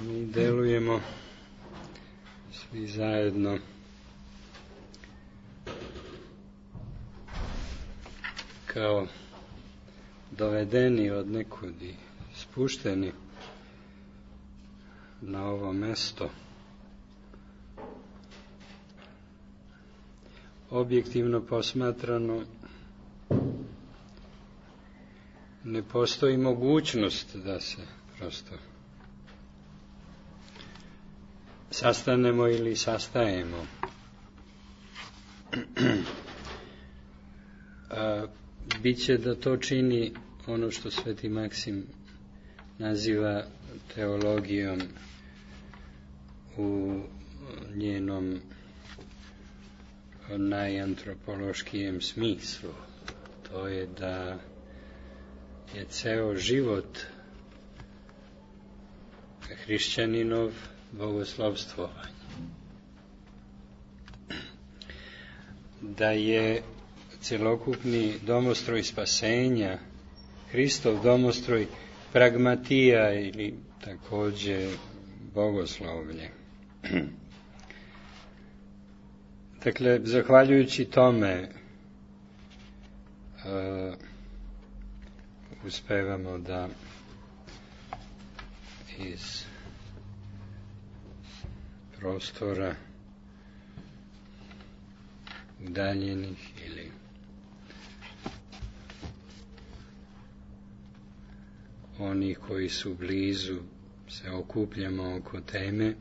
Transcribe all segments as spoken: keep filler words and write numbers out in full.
mi delujemo svi zajedno kao dovedeni od nekud i spušteni na ovo mesto. Objektivno posmatrano, ne postoji mogućnost da se prosto sastanemo ili sastajemo. A, biće da to čini ono što Sveti Maksim naziva teologijom u njenom najantropološkijem smislu. To je da je ceo život hrišćaninov bogoslovstvovanje. Da je celokupni domostroj spasenja, Hristov domostroj, pragmatija ili takođe bogoslovlje. Dakle, zahvaljujući tome uh, uspevamo da iz prostora udaljenih ili onih koji su blizu se okupljamo oko teme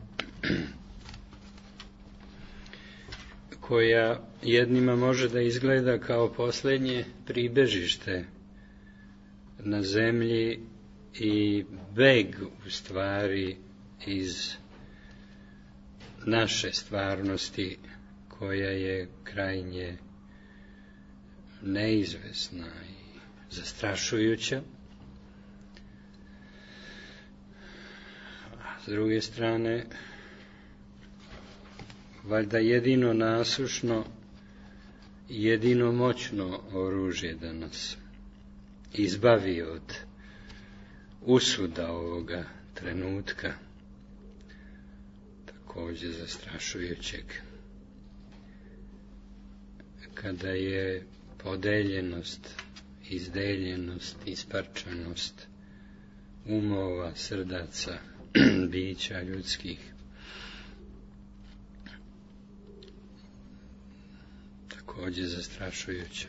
koja jednima može da izgleda kao posljednje pribežište na zemlji i beg u stvari iz naše stvarnosti koja je krajnje neizvesna i zastrašujuća. A s druge strane, valjda jedino nasušno, jedino moćno oružje da nas izbavi od usuda ovoga trenutka, takođe zastrašujućeg, kada je podeljenost, izdeljenost, isparčanost umova, srdaca, bića ljudskih takođe zastrašujuća.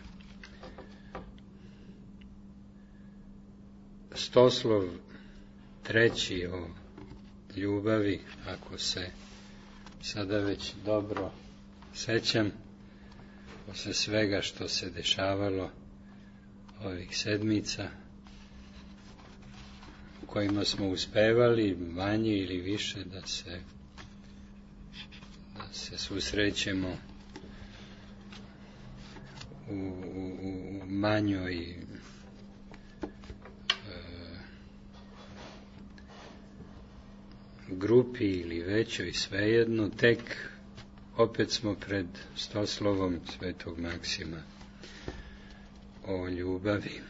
Stoslov treći o ljubavi, ako se sada već dobro sećam, posle svega što se dešavalo ovih sedmica, u kojima smo uspevali manje ili više da se da se susrećemo u, u, u manjoj e, grupi ili većoj, svejedno, tek opet smo pred stoslovom Svetog Maksima o ljubavi.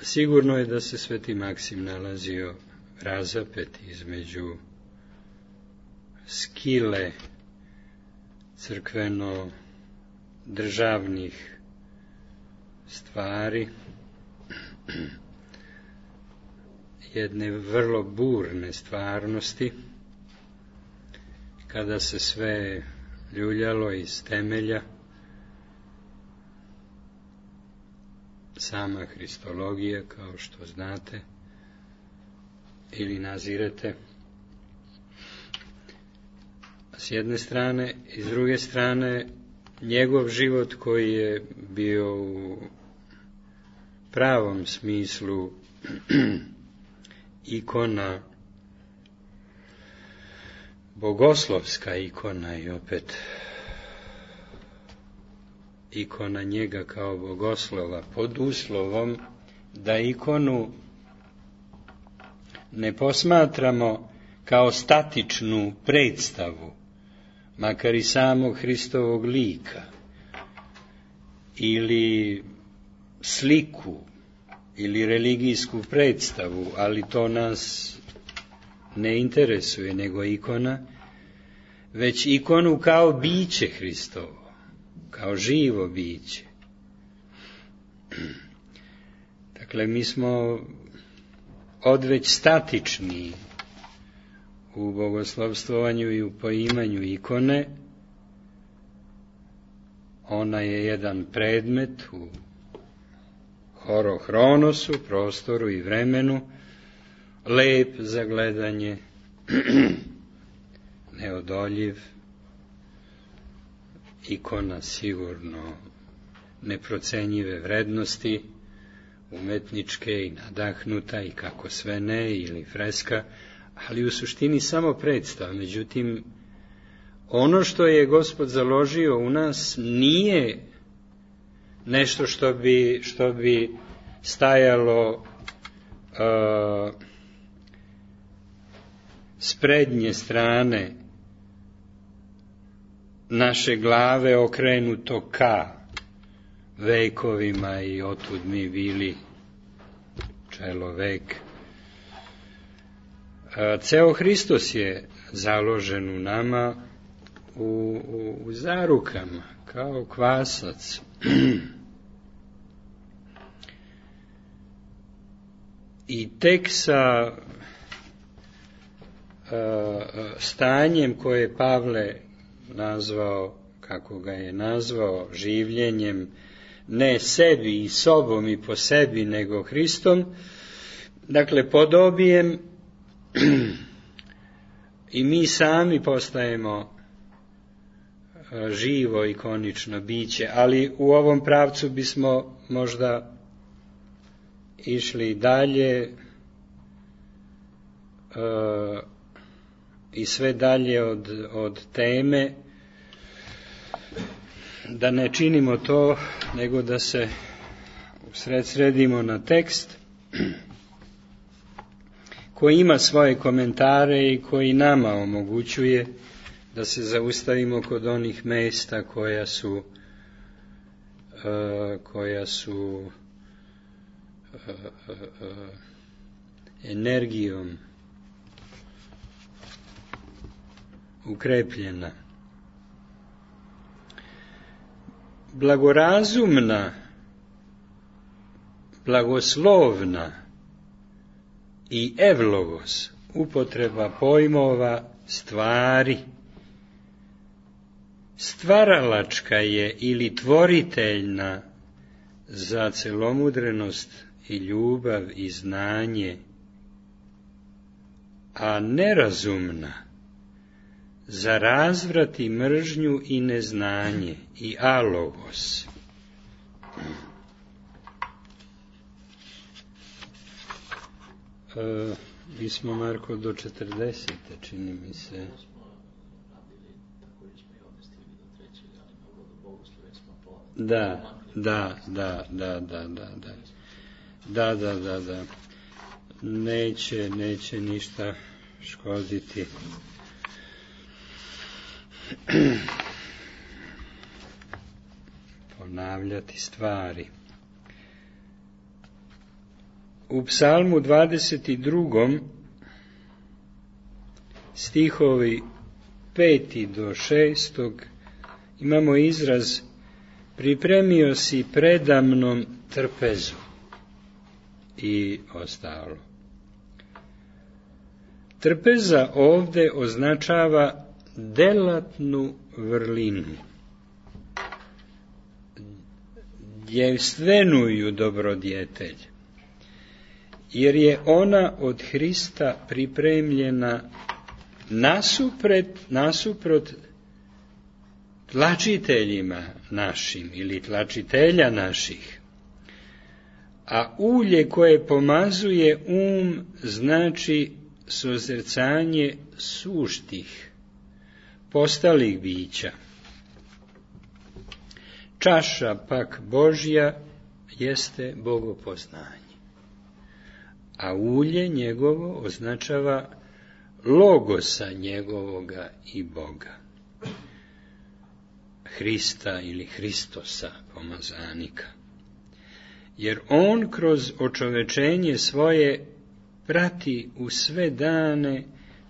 Sigurno je da se Sveti Maksim nalazio razapet između skile crkveno-državnih stvari, jedne vrlo burne stvarnosti, kada se sve ljuljalo iz temelja, sama hristologija, kao što znate ili nazirete, s jedne strane, i s druge strane njegov život koji je bio u pravom smislu ikona, bogoslovska ikona i opet ikona njega kao bogoslova, pod uslovom da ikonu ne posmatramo kao statičnu predstavu, makar i samog Hristovog lika, ili sliku ili religijsku predstavu, ali to nas ne interesuje, nego ikona, već ikonu kao biće Hristovo, kao živo biće. Dakle, mi smo odveć statični u bogoslovstovanju i u poimanju ikone. Ona je jedan predmet u horohronosu, prostoru i vremenu, lep za gledanje, neodoljiv, ikona sigurno neprocenjive vrednosti, umetničke i nadahnuta i kako sve ne, ili freska, ali u suštini samo predstav. Međutim, ono što je Gospod založio u nas nije nešto što bi, što bi stajalo uh, s prednje strane naše glave okrenuto ka vekovima i otud mi bili čelovek. Ceo Hristos je založen u nama u, u, u zarukama, kao kvasac. I tek sa uh, stanjem koje je Pavle nazvao, kako ga je nazvao, življenjem ne sebi i sobom i po sebi, nego Hristom, dakle podobijem i mi sami postajemo živo ikonično biće, ali u ovom pravcu bismo možda išli dalje uh, i sve dalje od, od teme, da ne činimo to, nego da se usred sredimo na tekst koji ima svoje komentare i koji nama omogućuje da se zaustavimo kod onih mesta koja su uh, koja su uh, uh, uh, energijom ukrepljena. Blagorazumna, blagoslovna i evlogos, upotreba pojmova stvari, stvaralačka je ili tvoriteljna za celomudrenost i ljubav i znanje, a nerazumna za razvrat i mržnju i neznanje i alogos. E, mi smo, Marko, do četrdesete, čini mi se. Da, da, da, da, da, da, da, da, da, da, da, neće, neće ništa škoditi. Ponavljati stvari. U Psalmu dvadeset drugom stihovi peti do šestog imamo izraz pripremio si predamnom trpezu i ostalo. Trpeza ovde označava delatnu vrlinu, djevstvenuju dobrodjetelj, jer je ona od Hrista pripremljena nasupret, nasuprot tlačiteljima našim ili tlačitelja naših, a ulje koje pomazuje um znači sozrcanje suštih, postalih bića. Čaša pak Božja jeste bogopoznanje, a ulje njegovo označava logosa njegovoga i Boga, Hrista ili Hristosa, pomazanika. jer on kroz očovečenje svoje prati u sve dane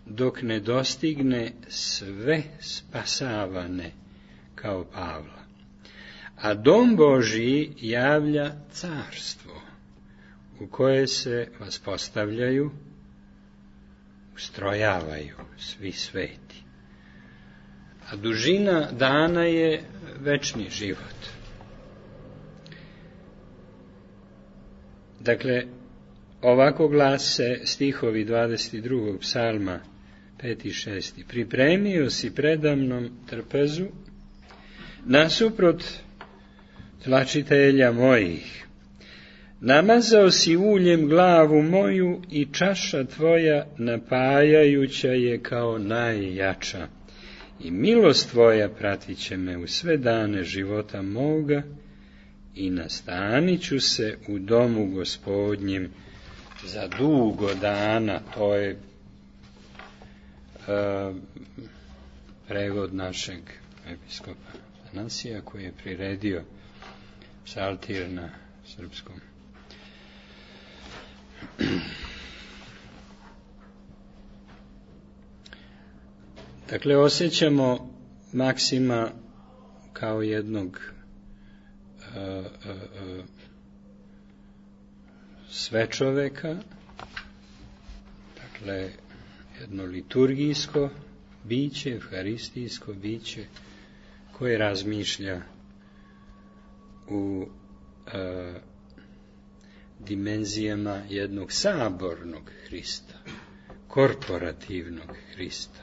dok ne dostigne sve spasavane kao Pavla. A dom Božji javlja carstvo u koje se vaspostavljaju, ustrojavaju svi sveti. A dužina dana je večni život. Dakle, ovako glase stihovi dvadeset drugog psalma, peti i šesti. Pripremio si predamnom trpezu, nasuprot tlačitelja mojih. Namazao si uljem glavu moju i čaša tvoja napajajuća je kao najjača. I milost tvoja pratit će me u sve dane života moga i nastanit ću se u domu Gospodnjem za dugo dana. To je uh, prevod našeg episkopa Anasija koji je priredio psaltir na srpskom. Dakle, osjećamo Maksima kao jednog uh, uh, uh, svečoveka, dakle, jedno liturgijsko biće, evharistijsko biće, koje razmišlja u uh, dimenzijama jednog sabornog Hrista, korporativnog Hrista,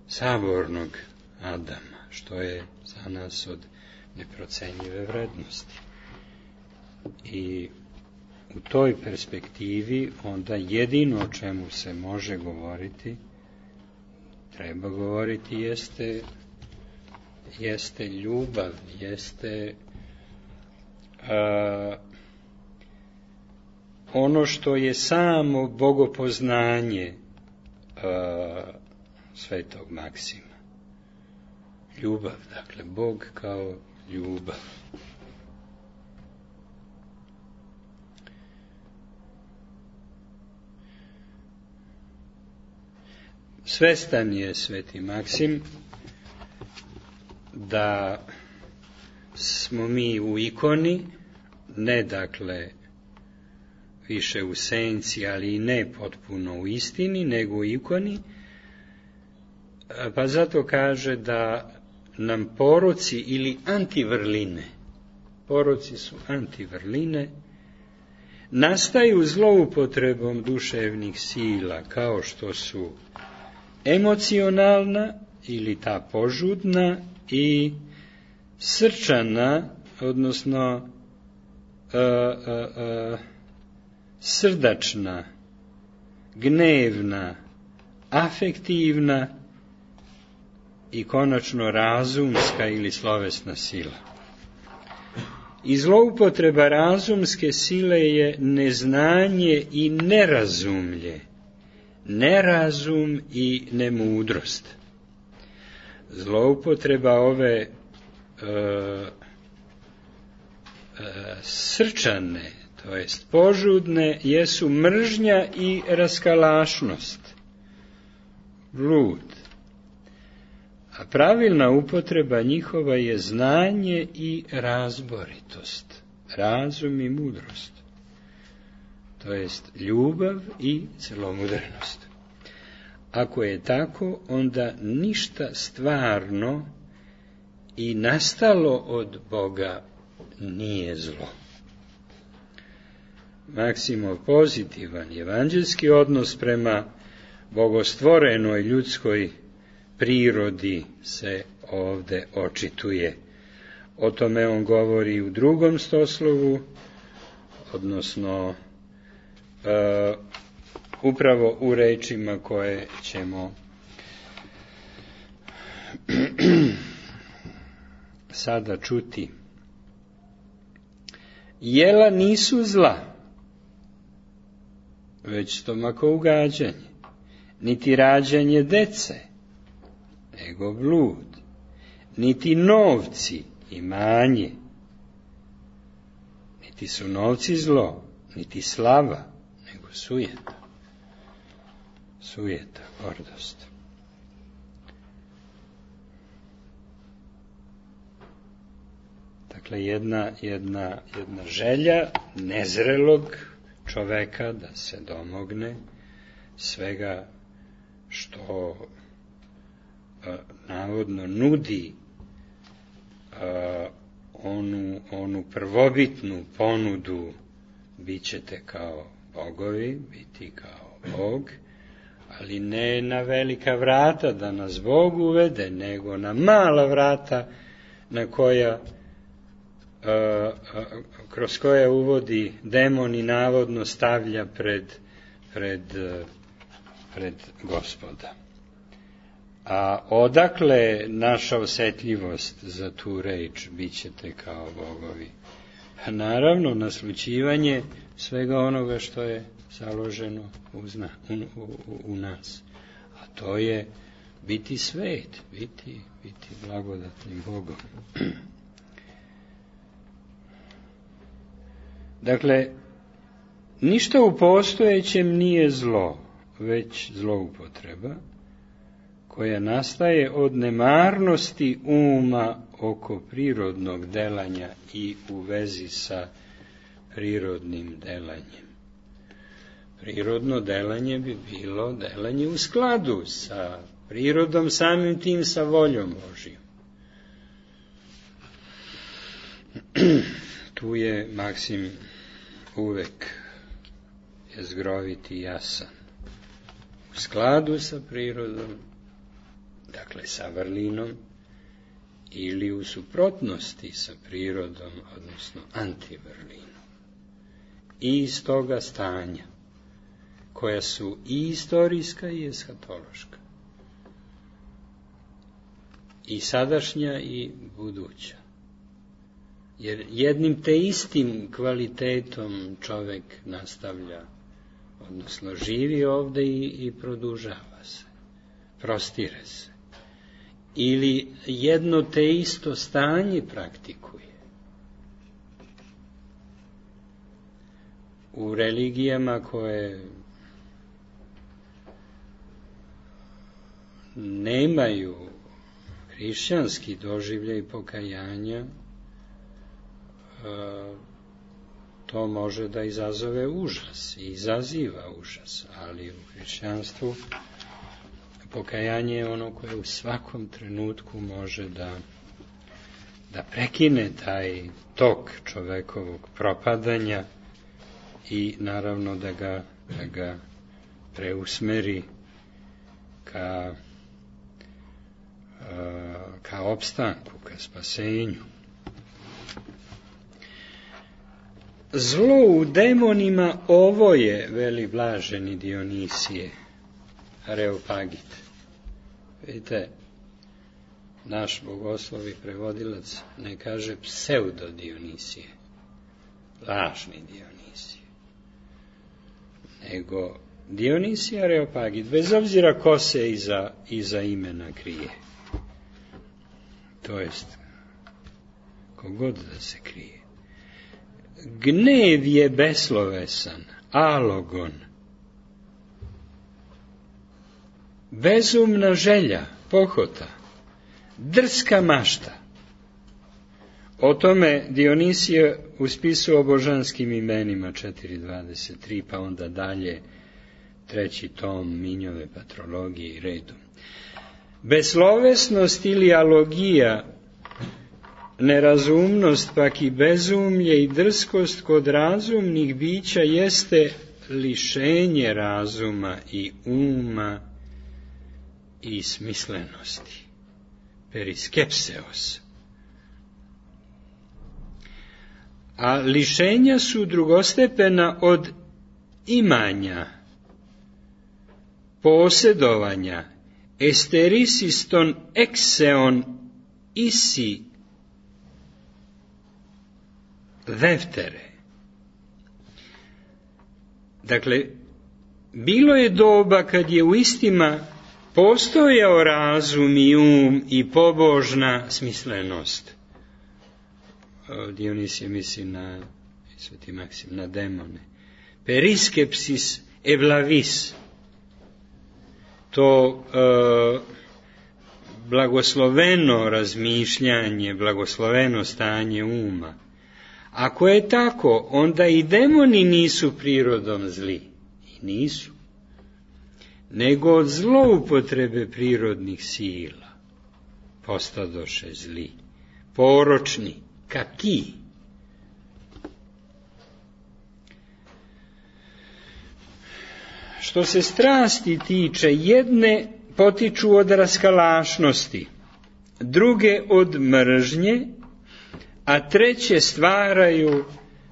sabornog Adama, što je za nas od neprocenjive vrednosti. I u toj perspektivi onda jedino o čemu se može govoriti, treba govoriti, jeste, jeste ljubav, jeste a, ono što je samo bogopoznanje a, svetog Maksima. Ljubav, dakle, Bog kao ljubav. Svestan je sveti Maksim da smo mi u ikoni, ne dakle više u senci, ali i ne potpuno u istini, nego u ikoni, pa zato kaže da nam poroci ili antivrline, poroci su antivrline, nastaju zloupotrebom duševnih sila, kao što su emocionalna ili ta požudna i srčana, odnosno a, a, a, srdačna, gnevna, afektivna i konačno razumska ili slovesna sila. I zloupotreba razumske sile je neznanje i nerazumlje, nerazum i nemudrost. Zloupotreba ove e, e, srčane, to jest požudne, jesu mržnja i raskalašnost, blud. A pravilna upotreba njihova je znanje i razboritost, razum i mudrost, to jest ljubav i celomudrenost. Ako je tako, onda ništa stvarno i nastalo od Boga nije zlo. Maksimov pozitivan evanđelski odnos prema bogostvorenoj ljudskoj prirodi se ovde očituje. O tome on govori u drugom stoslovu, odnosno uh, upravo u rečima koje ćemo sada čuti. Jela nisu zla, već stomakougađanje, niti rađanje dece, nego blud, niti novci, imanje, Niti su novci zlo, niti slava, nego sujeta. Sujeta, gordost. Dakle, jedna, jedna, jedna želja nezrelog čoveka da se domogne svega što a, navodno nudi a, onu, onu prvobitnu ponudu, bit ćete kao bogovi, biti kao Bog, ali ne na velika vrata da nas Bog uvede, nego na mala vrata na koja a, a, kroz koja uvodi demon i navodno stavlja pred, pred, pred Gospoda. A odakle naša osjetljivost za tu reč, bit ćete kao bogovi? A naravno, naslućivanje svega onoga što je založeno u, zna, u, u, u nas. A to je biti svet, biti, biti blagodatnim Bogom. Dakle, ništa u postojećem nije zlo, već zloupotreba, koja nastaje od nemarnosti uma oko prirodnog delanja i u vezi sa prirodnim delanjem. Prirodno delanje bi bilo delanje u skladu sa prirodom, samim tim sa voljom Božijom. Tu je Maksim uvek jezgrovit i jasan. U skladu sa prirodom, dakle sa vrlinom, ili u suprotnosti sa prirodom, odnosno antivrlinom. I iz toga stanja, koja su i istorijska i eshatološka, i sadašnja i buduća. Jer jednim te istim kvalitetom čovek nastavlja, odnosno živi ovde i, i produžava se, prostire se. Ili jedno te isto stanje praktikuje. U religijama koje nemaju hrišćanski doživljaj pokajanja, to može da izazove užas i izaziva užas, ali u hrišćanstvu pokajanje je ono koje u svakom trenutku može da, da prekine taj tok čovekovog propadanja i naravno da ga, da ga preusmeri ka, ka opstanku, ka spasenju. Zlo u demonima ovo je, veli blaženi Dionisije, Areopagit. Vidite, naš bogoslovi prevodilac ne kaže pseudo Dionisije, lažni Dionisije, nego Dionisije Areopagit, bez obzira ko se iza, iza imena krije. To jest, kogod da se krije. Gnev je beslovesan, alogon, bezumna želja, pohota, drska mašta. O tome Dionisije u spisu o božanskim imenima četiri dvadeset tri, pa onda dalje treći tom Minjove patrologije i redom. Beslovesnost ili alogija, nerazumnost, pak i bezumlje i drskost kod razumnih bića jeste lišenje razuma i uma i smislenosti. Periskepseos. A lišenja su drugostepena od imanja, posjedovanja, esterisiston exeon isi veftere. Dakle, bilo je doba kad je u istima postojao razum i um i pobožna smislenost. Dionisije misli na Sveti Maksim, na demone. Periskepsis evlavis, to e, blagosloveno razmišljanje, blagosloveno stanje uma. Ako je tako, onda i demoni nisu prirodom zli. I nisu. Nego od zloupotrebe prirodnih sila postadoše zli. Poročni, kaki. Što se strasti tiče, jedne potiču od raskalašnosti, druge od mržnje, a treće stvaraju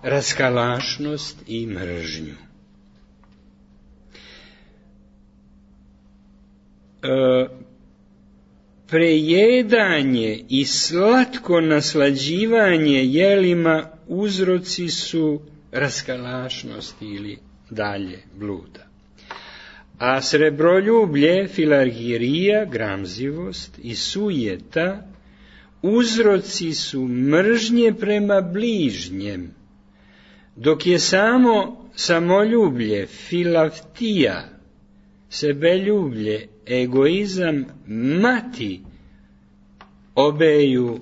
raskalašnost i mržnju. E, prejedanje i slatko naslađivanje jelima uzroci su raskalašnosti ili dalje bluda. A srebroljublje, filargirija, gramzivost i sujeta uzroci su mržnje prema bližnjem, dok je samo samoljublje, filaftija, sebeljublje, egoizam, mati obeju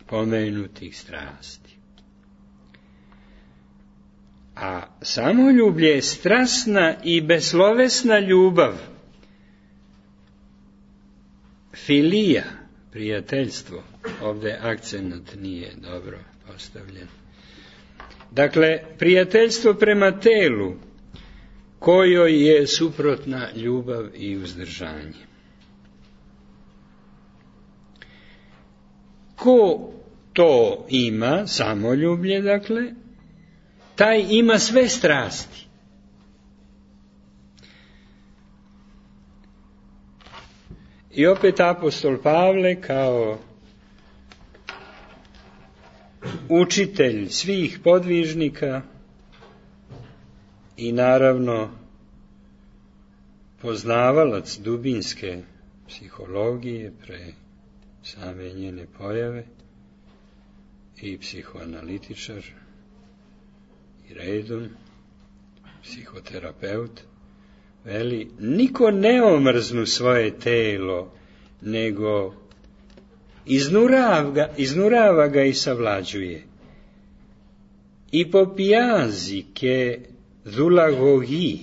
pomenutih strasti. A samoljublje je strasna i beslovesna ljubav, filija, prijateljstvo, ovdje akcent nije dobro postavljen. Dakle, prijateljstvo prema telu, kojoj je suprotna ljubav i uzdržanje. Ko to ima, samoljublje, dakle, taj ima sve strasti. I opet apostol Pavle kao učitelj svih podvižnika i naravno poznavalac dubinske psihologije pre same njene pojave i psihoanalitičar i redom psihoterapeut, veli, niko ne omrznu svoje telo, nego iznurava ga, iznurava ga i savlađuje. I popijazi ke zulagogi,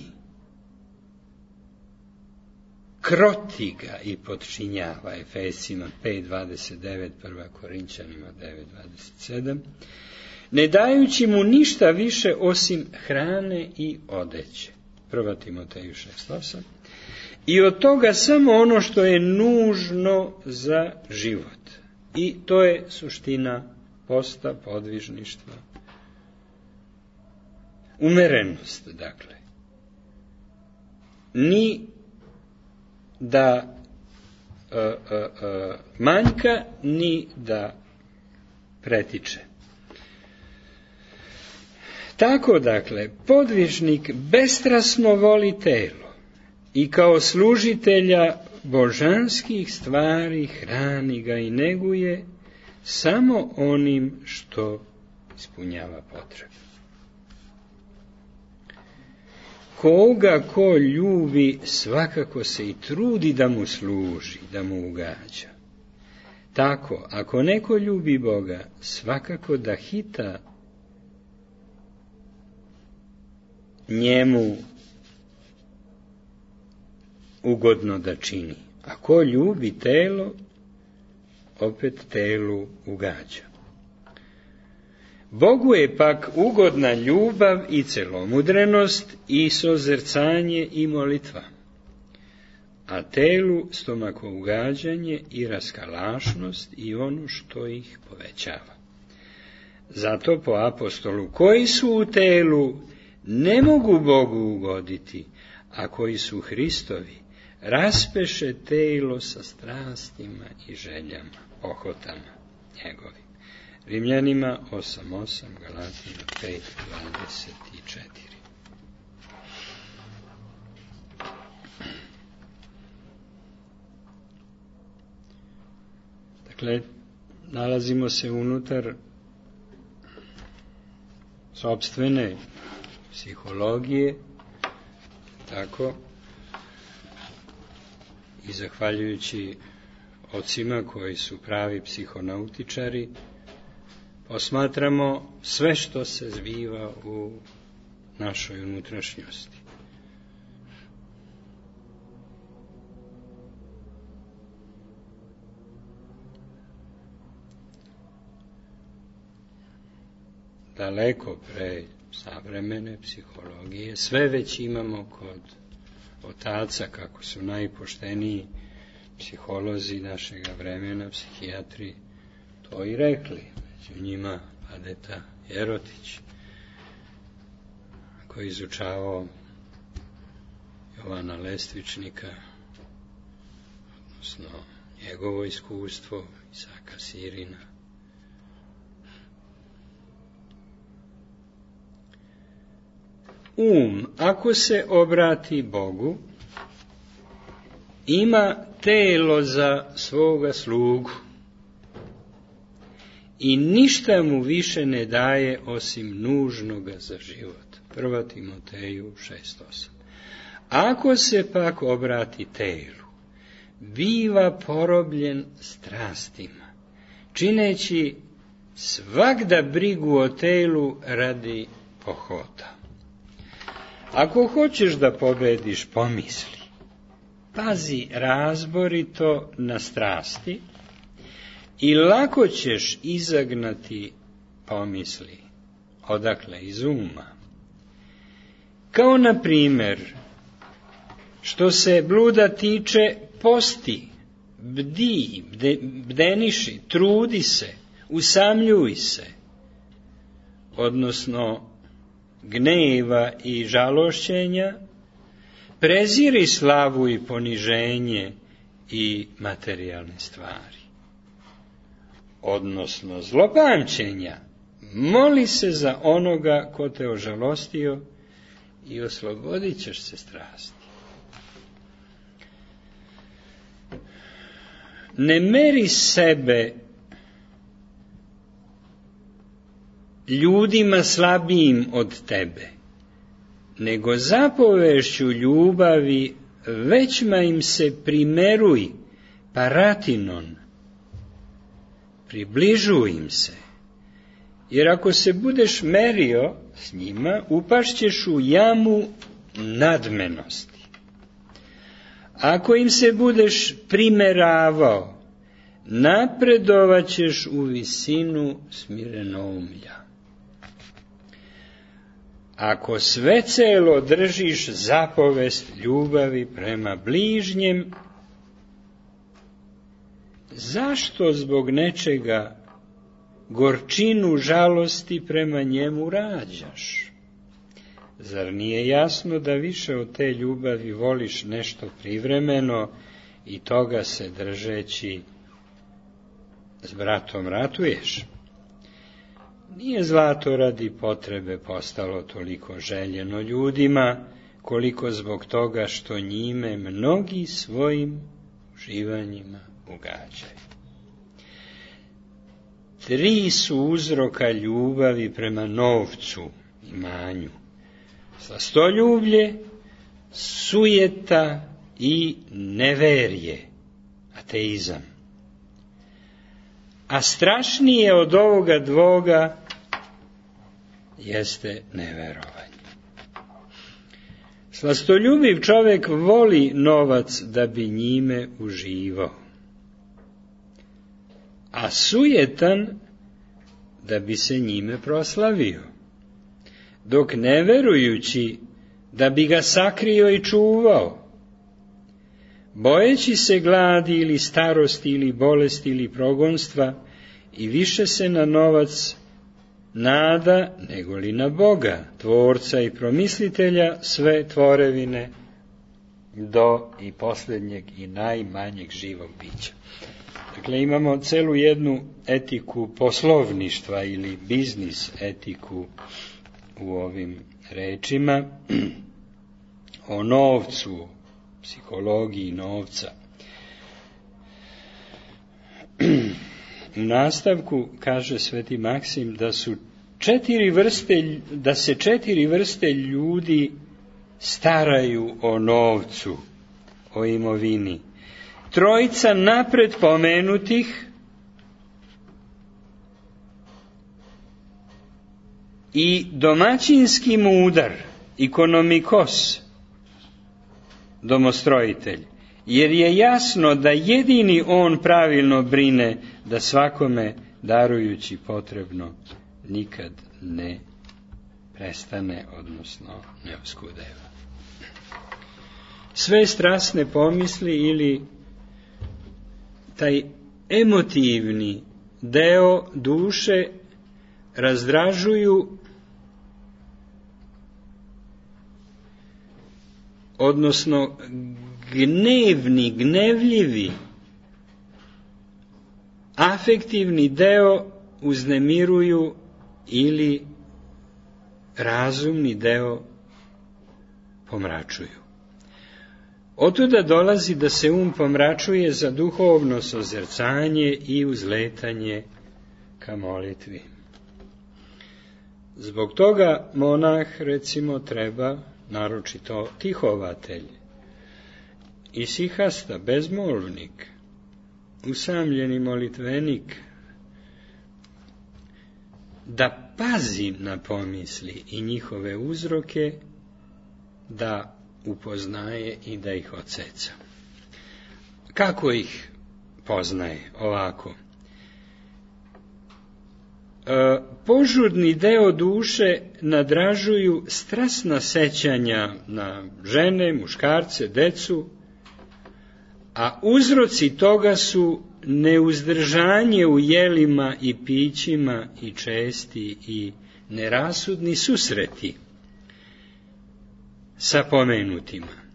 kroti ga i podčinjava, Efesima pet dvadeset devet, prva Korinćanima devet dvadeset sedam, ne dajući mu ništa više osim hrane i odeće. prva Timoteju šest osam. I od toga samo ono što je nužno za život. I to je suština posta, podvižništva. Umerenost, dakle. Ni da e, e, e, manjka, ni da pretiče. Tako, dakle, podvižnik bestrasno voli telo i kao služitelja božanskih stvari hrani ga i neguje samo onim što ispunjava potrebu. Koga ko ljubi, svakako se i trudi da mu služi, da mu ugađa. Tako, ako neko ljubi Boga, svakako da hita njemu ugodno da čini. A ko ljubi telo, opet telu ugađa. Bogu je pak ugodna ljubav i celomudrenost i sozrcanje i molitva, a telu stomako ugađanje i raskalašnost i ono što ih povećava. Zato po apostolu, koji su u telu, ne mogu Bogu ugoditi, a koji su Hristovi, raspeše telo sa strastima i željama, ohotama njegovim. Rimljanima osam osam, Galatima pet dvadeset četiri. Dakle, nalazimo se unutar sopstvene psihologije, tako, i zahvaljujući ocima koji su pravi psihonautičari, posmatramo sve što se zbiva u našoj unutrašnjosti. Daleko pre savremene psihologije, sve već imamo kod otaca, kako su najpošteniji psiholozi našega vremena, psihijatri, to i rekli. Među njima Padeta Jerotić, koji je izučavao Jovana Lestvičnika, odnosno njegovo iskustvo, Isaka Sirina. Um, ako se obrati Bogu, ima telo za svoga slugu i ništa mu više ne daje osim nužnoga za život. Prva Timoteju šest osam. Ako se pak obrati telu, biva porobljen strastima, čineći svagda brigu o telu radi pohota. Ako hoćeš da pobediš pomisli, pazi razborito na strasti i lako ćeš izagnati pomisli, odakle iz uma. Kao na primjer, što se bluda tiče, posti, bdi, bde, bdeniši, trudi se, usamljuj se, odnosno gneva i žalošćenja, preziri slavu i poniženje i materijalne stvari. Odnosno zlopamćenja, moli se za onoga ko te ožalostio i oslobodit ćeš se strasti. Ne meri sebe ljudima slabijim od tebe, nego zapovešću ljubavi većma im se primeruj, paratinon, približuj im se, jer ako se budeš merio s njima, upašćeš u jamu nadmenosti. Ako im se budeš primeravao, napredovaćeš u visinu smirenoumlja. Ako sve celo držiš zapovest ljubavi prema bližnjem, zašto zbog nečega gorčinu žalosti prema njemu rađaš? Zar nije jasno da više od te ljubavi voliš nešto privremeno i toga se držeći s bratom ratuješ? Nije zlato radi potrebe postalo toliko željeno ljudima, koliko zbog toga što njime mnogi svojim uživanjima ugađaju. Tri su uzroka ljubavi prema novcu, imanju: slastoljublje, sujeta i neverje, ateizam. A strašnije od ovoga dvoga jeste neverovanje. Slastoljubiv čovjek voli novac da bi njime uživao, a sujetan da bi se njime proslavio, dok neverujući da bi ga sakrio i čuvao, bojeći se gladi ili starosti ili bolesti ili progonstva, i više se na novac nada nego li na Boga, tvorca i promislitelja sve tvorevine, do i posljednjeg i najmanjeg živog bića. Dakle, imamo celu jednu etiku poslovništva ili biznis etiku u ovim rečima o novcu, psihologiji novca. U nastavku kaže sveti Maksim da su četiri vrste, da se četiri vrste ljudi staraju o novcu, o imovini. Trojica napred pomenutih i domaćinski mudar, ikonomikos, domostrojitelj, jer je jasno da jedini on pravilno brine da svakome darujući potrebno nikad ne prestane, odnosno ne oskudeva. Sve strasne pomisli ili taj emotivni deo duše razdražuju, odnosno gnevni, gnevljivi, afektivni deo uznemiruju ili razumni deo pomračuju. Otuda dolazi da se um pomračuje za duhovno sozercanje i uzletanje ka molitvi. Zbog toga monah, recimo, treba, naročito tihovatelj, isihasta, bezmolvnik, usamljeni molitvenik, da pazi na pomisli i njihove uzroke, da upoznaje i da ih odseca. Kako ih poznaje? Ovako. E, požudni deo duše nadražuju strasna sećanja na žene, muškarce, decu, a uzroci toga su neuzdržanje u jelima i pićima i česti i nerasudni susreti sa pomenutima.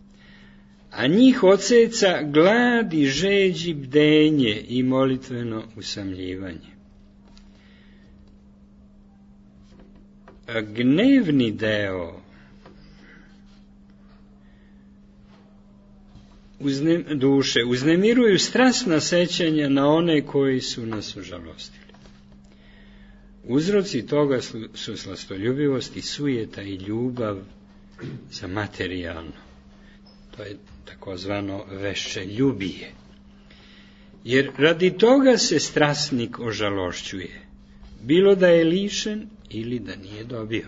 A njih odseca glad i žeđ i bdenje i molitveno usamljivanje. A gnevni deo uzne, duše uznemiruju strasna sećanja na one koji su nas užalostili. Uzroci toga su, su slastoljubivost i sujeta i ljubav za materijalno. To je takozvano veščeljubije. Jer radi toga se strasnik ožalošćuje, bilo da je lišen ili da nije dobio.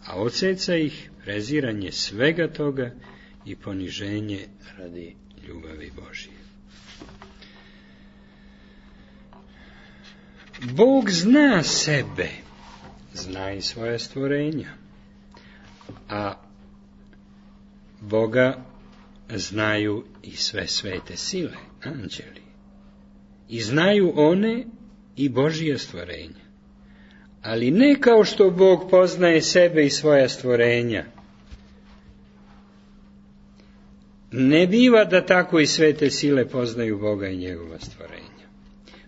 A odseca ih preziranje svega toga i poniženje radi ljubavi Božije. Bog zna sebe, zna i svoje stvorenja, a Boga znaju i sve svete sile, anđeli, i znaju one i Božija stvorenja, ali ne kao što Bog poznaje sebe i svoja stvorenja. Ne biva da tako i svete sile poznaju Boga i njegova stvorenja.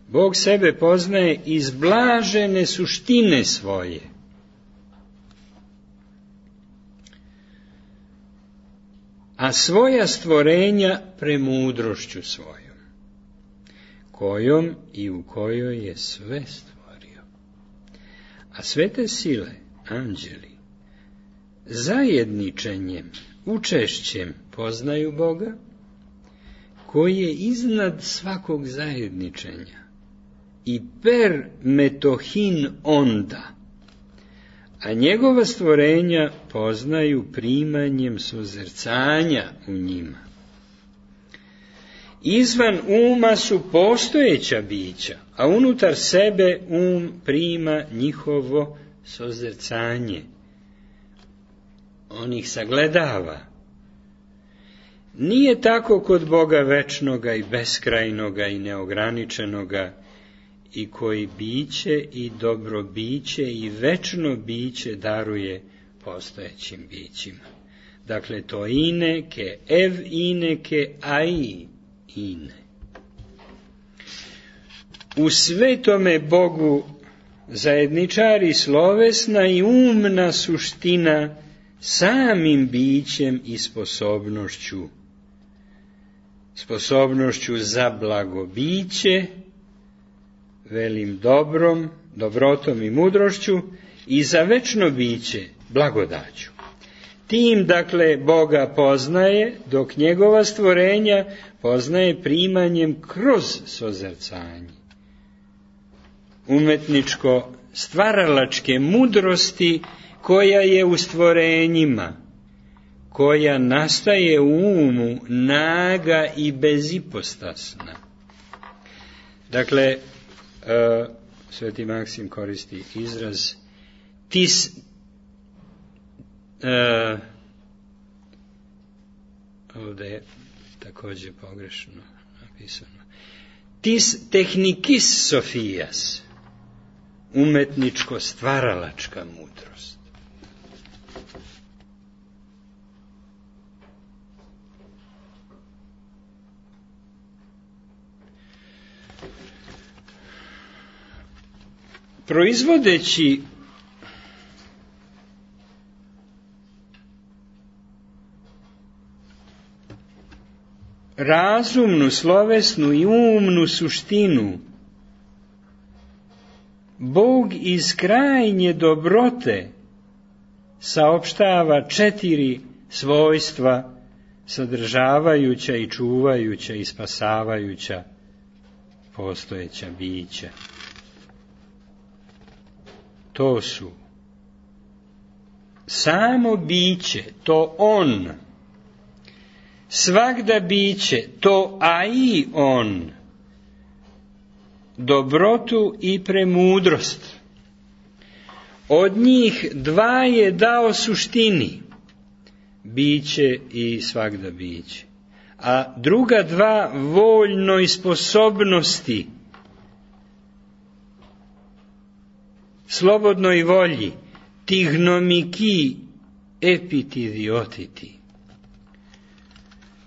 Bog sebe poznaje iz blažene suštine svoje. A svoja stvorenja premudrošću svojom, kojom i u kojoj je sve stvorio. A svete sile, anđeli, zajedničenjem, učešćem poznaju Boga, koji je iznad svakog zajedničenja i per metohin onda, a njegova stvorenja poznaju primanjem suzercanja u njima. Izvan uma su postojeća bića, a unutar sebe um prima njihovo suzercanje. On ih sagledava. Nije tako kod Boga večnoga i beskrajnoga i neograničenoga, i koji biće i dobro biće i večno biće daruje postojećim bićima. Dakle, to ine ke ev ine ke ai ine. U svetome Bogu zajedničari slovesna i umna suština samim bićem i sposobnošću, sposobnošću za blagobiće, velim dobrom, dobrotom i mudrošću i za večno biće blagodaću. Tim, dakle, Boga poznaje, dok njegova stvorenja poznaje primanjem kroz sozrcanje. Umetničko stvaralačke mudrosti koja je u stvorenjima, koja nastaje u umu naga i bezipostasna. Dakle, uh, Sveti Maksim koristi izraz tis, uh, ovdje je također pogrešno napisano, tis technikis sofijas, umetničko stvaralačka mudrost. Proizvodeći razumnu, slovesnu i umnu suštinu, Bog iz krajnje dobrote saopštava četiri svojstva sadržavajuća i čuvajuća i spasavajuća postojeća bića. To su samo biće, to on, svagda biće, to a i on, dobrotu i premudrost. Od njih dva je dao suštini, biće i svagda biće, a druga dva voljnoj sposobnosti, slobodnoj volji, tignomiki epitidiotiti.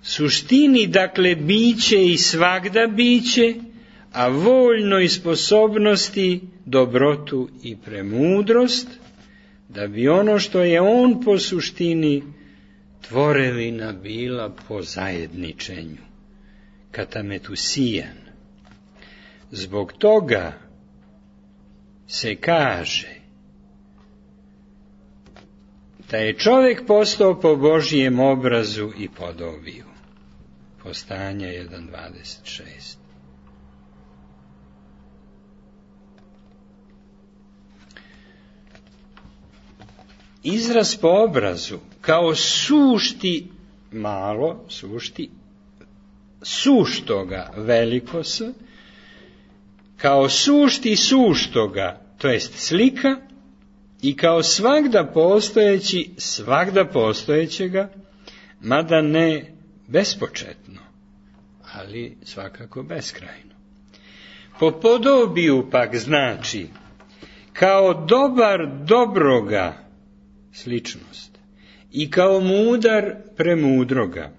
Suštini, dakle, biće i svagda biće, a voljnoj sposobnosti, dobrotu i premudrost, da bi ono što je on po suštini tvorevina bila po zajedničenju, katametusijan. Zbog toga se kaže da je čovjek postao po Božijem obrazu i podobiju. Postanja jedan dvadeset šest. Izraz po obrazu kao sušti malo, sušti, suštoga veliko s, kao sušti suštoga, to jest slika, i kao svagda postojeći svagda postojećega, mada ne bespočetno, ali svakako beskrajno. Po podobiju pak znači kao dobar dobroga, sličnost, i kao mudar premudroga,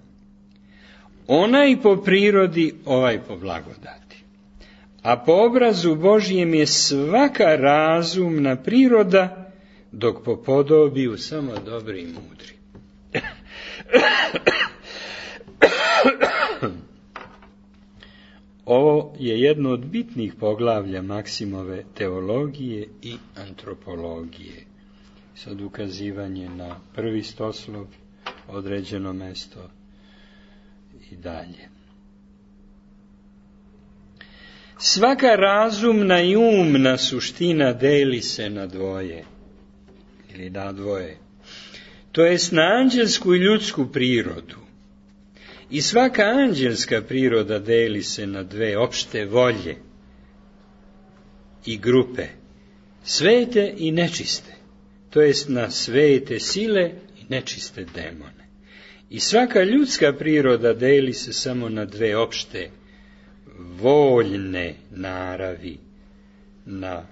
onaj po prirodi, ovaj po blagodati. A po obrazu Božijem je svaka razumna priroda, dok po podobiju samo dobri i mudri. Ovo je jedno od bitnih poglavlja Maksimove teologije i antropologije. Sad ukazivanje na prvi stoslov, određeno mesto i dalje. Svaka razumna i umna suština deli se na dvoje, ili na dvoje, to jest na anđelsku i ljudsku prirodu. I svaka anđelska priroda deli se na dve opšte volje i grupe, svete i nečiste, to jest na svete sile i nečiste demone. I svaka ljudska priroda deli se samo na dve opšte voljne naravi, na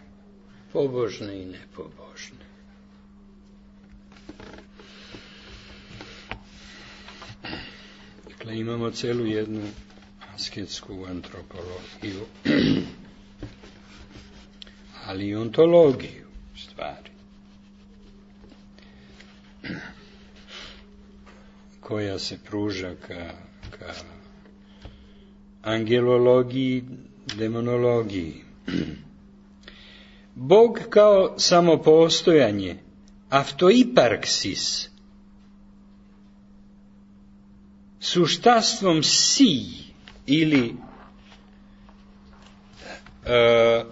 pobožne i nepobožne. Dakle, imamo celu jednu asketsku antropologiju, ali i ontologiju stvari, koja se pruža ka, ka angelologiji, demonologiji. Bog kao samopostojanje, autoiparksis, suštastvom si ili e,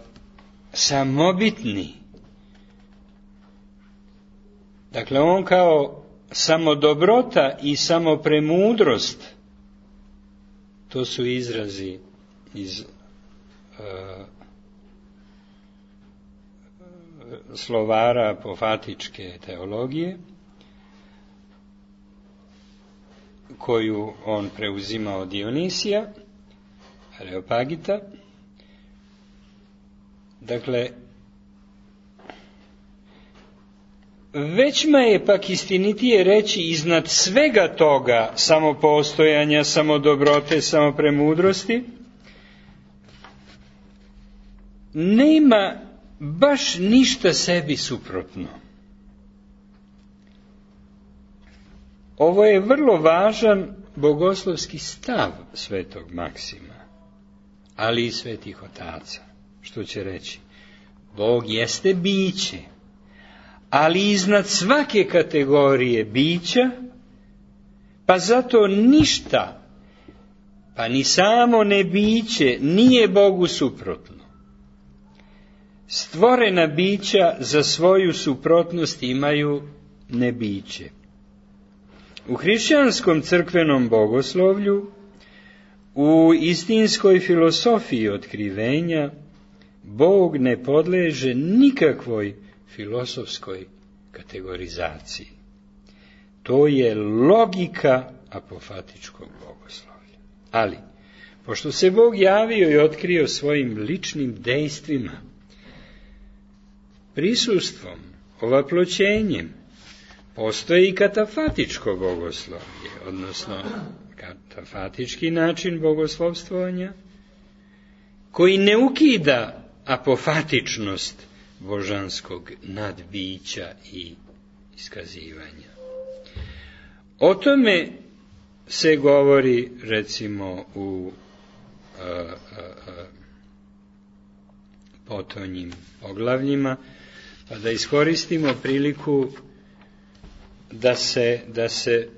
samobitni. Dakle, on kao samodobrota i samopremudrost, to su izrazi iz e, slovara apofatičke teologije, koju on preuzima od Dionisija, Areopagita. Dakle, većma je pak istinitije reći iznad svega toga samopostojanja, samodobrote, samopremudrosti, nema baš ništa sebi suprotno. Ovo je vrlo važan bogoslovski stav svetog Maksima, ali i svetih otaca, što će reći, Bog jeste biće, ali iznad svake kategorije bića, pa zato ništa, pa ni samo nebiće, nije Bogu suprotno. Stvorena bića za svoju suprotnost imaju nebiće. U hrišćanskom crkvenom bogoslovlju, u istinskoj filosofiji otkrivenja, Bog ne podleže nikakvoj filosofskoj kategorizaciji. To je logika apofatičkog bogoslovlja. Ali, pošto se Bog javio i otkrio svojim ličnim dejstvima, prisustvom, ovaploćenjem, postoji i katafatičko bogoslovlje, odnosno katafatički način bogoslovstvovanja, koji ne ukida apofatičnost božanskog nadbića i iskazivanja. O tome se govori, recimo, u a, a, a, potonjim poglavljima, pa da iskoristimo priliku da se, da se,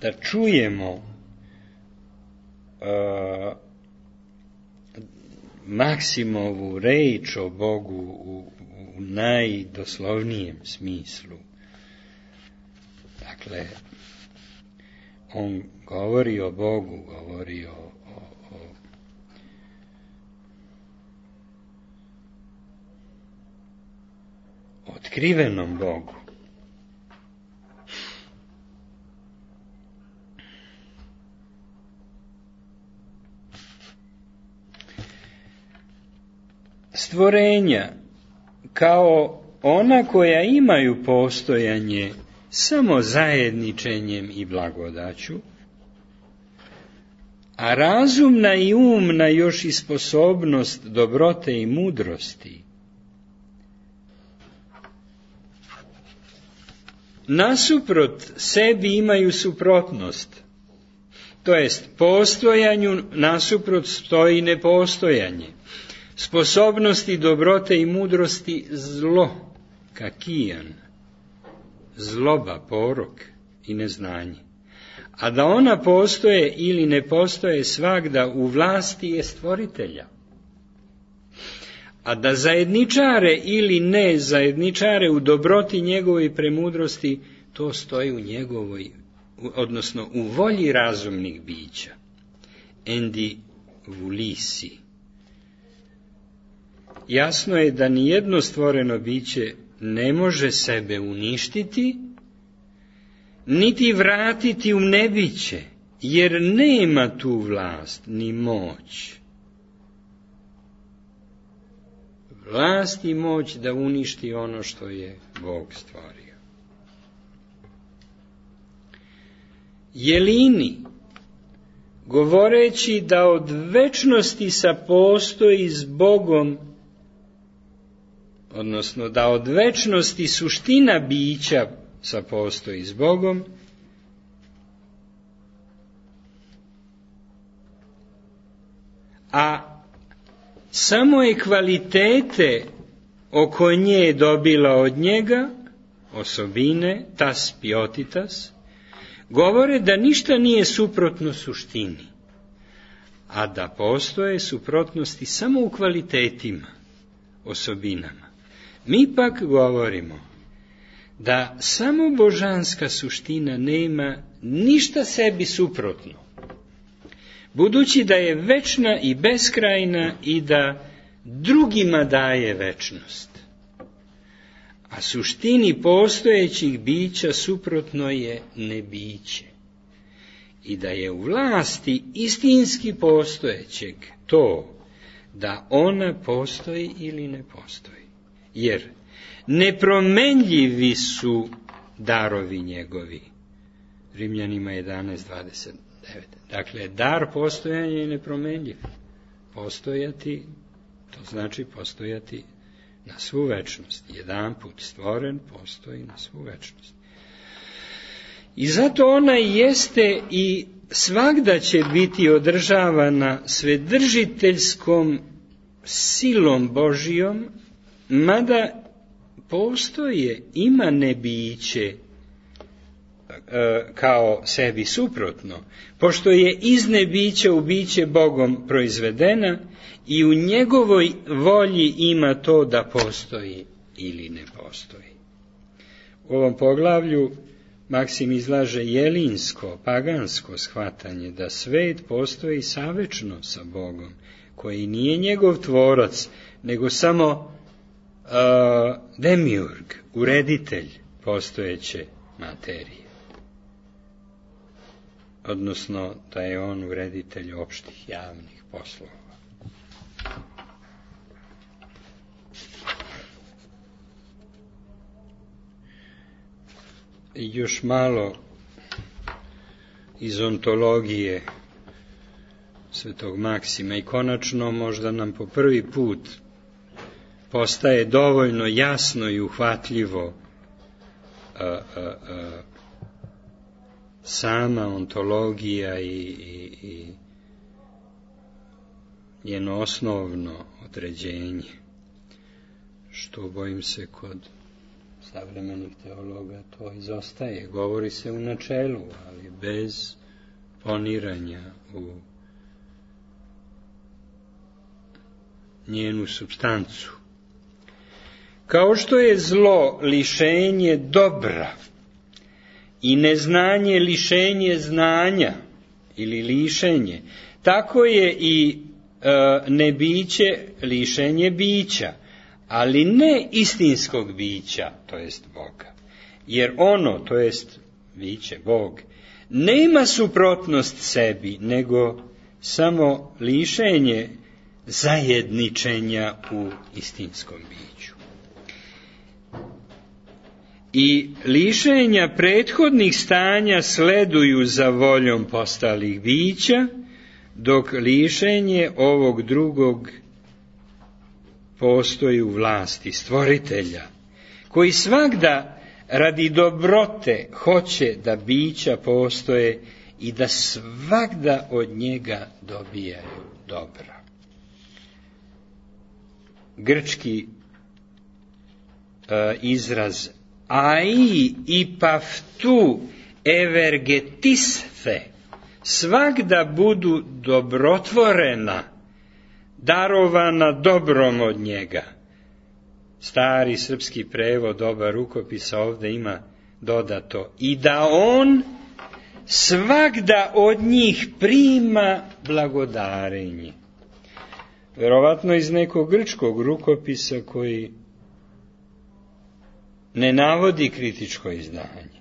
da čujemo a, Maksimovu reč o Bogu u, u najdoslovnijem smislu. Dakle, on govori o Bogu, govori o, o, o otkrivenom Bogu. Stvorenja, kao ona koja imaju postojanje samo zajedničenjem i blagodaću, a razumna i umna još i sposobnost dobrote i mudrosti, nasuprot sebi imaju suprotnost, to jest postojanju nasuprot stoji nepostojanje, sposobnosti dobrote i mudrosti zlo, kakijan, zloba, porok i neznanje. A da ona postoje ili ne postoje svagda u vlasti je stvoritelja. A da zajedničare ili ne zajedničare u dobroti njegove i premudrosti, to stoji u njegovoj, odnosno u volji razumnih bića. Endi vulisi. Jasno je da nijedno stvoreno biće ne može sebe uništiti, niti vratiti u nebiće, jer nema tu vlast ni moć. Vlast i moć da uništi ono što je Bog stvorio. Jelini, govoreći da od večnosti sapostoji s Bogom, odnosno da od večnosti suština bića sapostoji s Bogom, a samo je kvalitete oko nje dobila od njega, osobine, tas piotitas, govore da ništa nije suprotno suštini, a da postoje suprotnosti samo u kvalitetima, osobinama. Mi pak govorimo da samo božanska suština nema ništa sebi suprotno, budući da je večna i beskrajna i da drugima daje večnost. A suštini postojećih bića suprotno je nebiće. I da je u vlasti istinski postojećeg to da ona postoji ili ne postoji. Jer nepromenljivi su darovi njegovi. Rimljanima jedanaest dvadeset devet. Dakle, dar postojanja je nepromenljiv. Postojati, to znači postojati na svu večnost. Jedan put stvoren, postoji na svu večnost. I zato ona jeste i svagda će biti održavana svedržiteljskom silom Božijom, mada postoje, ima nebiće kao sebi suprotno, pošto je iz nebića u biće Bogom proizvedena i u njegovoj volji ima to da postoji ili ne postoji. U ovom poglavlju Maksim izlaže jelinsko, pagansko shvatanje da svet postoji savečno sa Bogom, koji nije njegov tvorac, nego samo uh, demiurg, ureditelj postojeće materije. Odnosno da je on ureditelj opštih javnih poslova. Još malo iz ontologije svetog Maksima i konačno možda nam po prvi put postaje dovoljno jasno i uhvatljivo a, a, a, sama ontologija i, i, i njeno osnovno određenje, što bojim se kod savremenih teologa to izostaje. Govori se u načelu, ali bez poniranja u njenu supstancu. Kao što je zlo lišenje dobra i neznanje lišenje znanja ili lišenje, tako je i e, nebiće lišenje bića, ali ne istinskog bića, to jest Boga. Jer ono, to jest biće, Bog, nema suprotnost sebi, nego samo lišenje zajedničenja u istinskom biću. I lišenja prethodnih stanja sleduju za voljom postalih bića, dok lišenje ovog drugog postoji u vlasti stvoritelja, koji svagda radi dobrote hoće da bića postoje i da svagda od njega dobijaju dobra. Grčki uh, izraz ai ipaftu evergetisthe, svagda budu dobrotvorena, darovana dobrom od njega. Stari srpski prevod oba rukopisa ovdje ima dodato i da on svagda od njih prima blagodarenje. Verovatno iz nekog grčkog rukopisa koji ne navodi kritičko izdanje.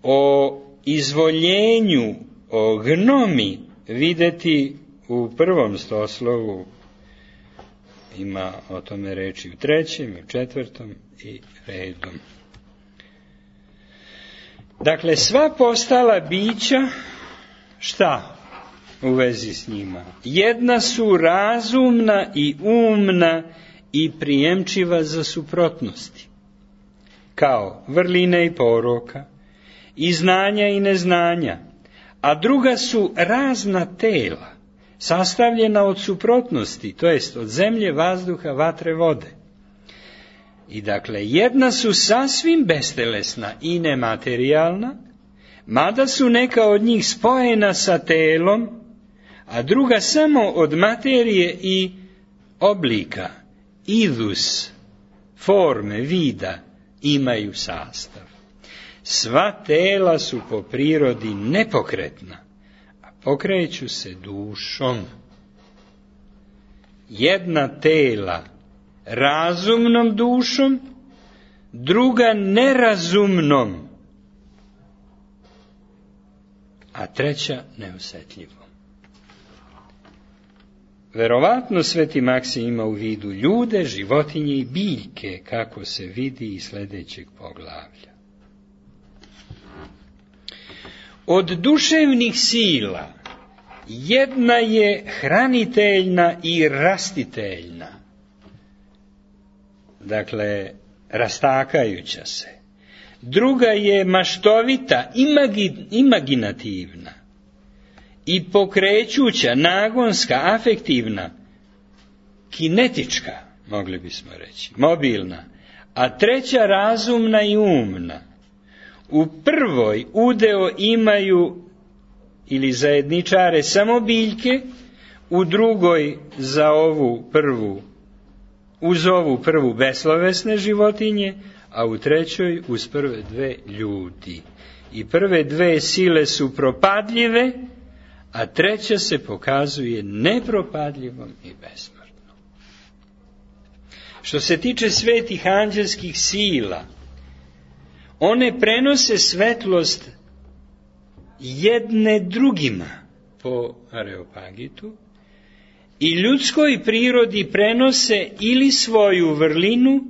O izvoljenju, o gnomi videti u prvom stoslovu, ima o tome reči u trećem i u četvrtom i redom. Dakle, sva postala bića, šta u vezi s njima? Jedna su razumna i umna i prijemčiva za suprotnosti, kao vrline i poroka, i znanja i neznanja, a druga su razna tela, sastavljena od suprotnosti, to jest od zemlje, vazduha, vatre, vode. I dakle, jedna su sasvim bestelesna i nematerijalna, mada su neka od njih spojena sa telom, a druga samo od materije i oblika, idus, forme, vida, imaju sastav. Sva tela su po prirodi nepokretna, a pokreću se dušom. Jedna tela razumnom dušom, druga nerazumnom, a treća neosjetljivom. Verovatno Sveti Maksim ima u vidu ljude, životinje i biljke, kako se vidi iz sljedećeg poglavlja. Od duševnih sila jedna je hraniteljna i rastiteljna, dakle rastakajuća se. Druga je maštovita, imagi, imaginativna i pokrećuća, nagonska, afektivna, kinetička, mogli bismo reći, mobilna, a treća razumna i umna. U prvoj udeo imaju ili zajedničare samo biljke, u drugoj za ovu prvu, uz ovu prvu beslovesne životinje, a u trećoj uz prve dve ljudi. I prve dve sile su propadljive, a treća se pokazuje nepropadljivom i besmrtnom. Što se tiče svetih anđelskih sila, one prenose svetlost jedne drugima po Areopagitu i ljudskoj prirodi prenose ili svoju vrlinu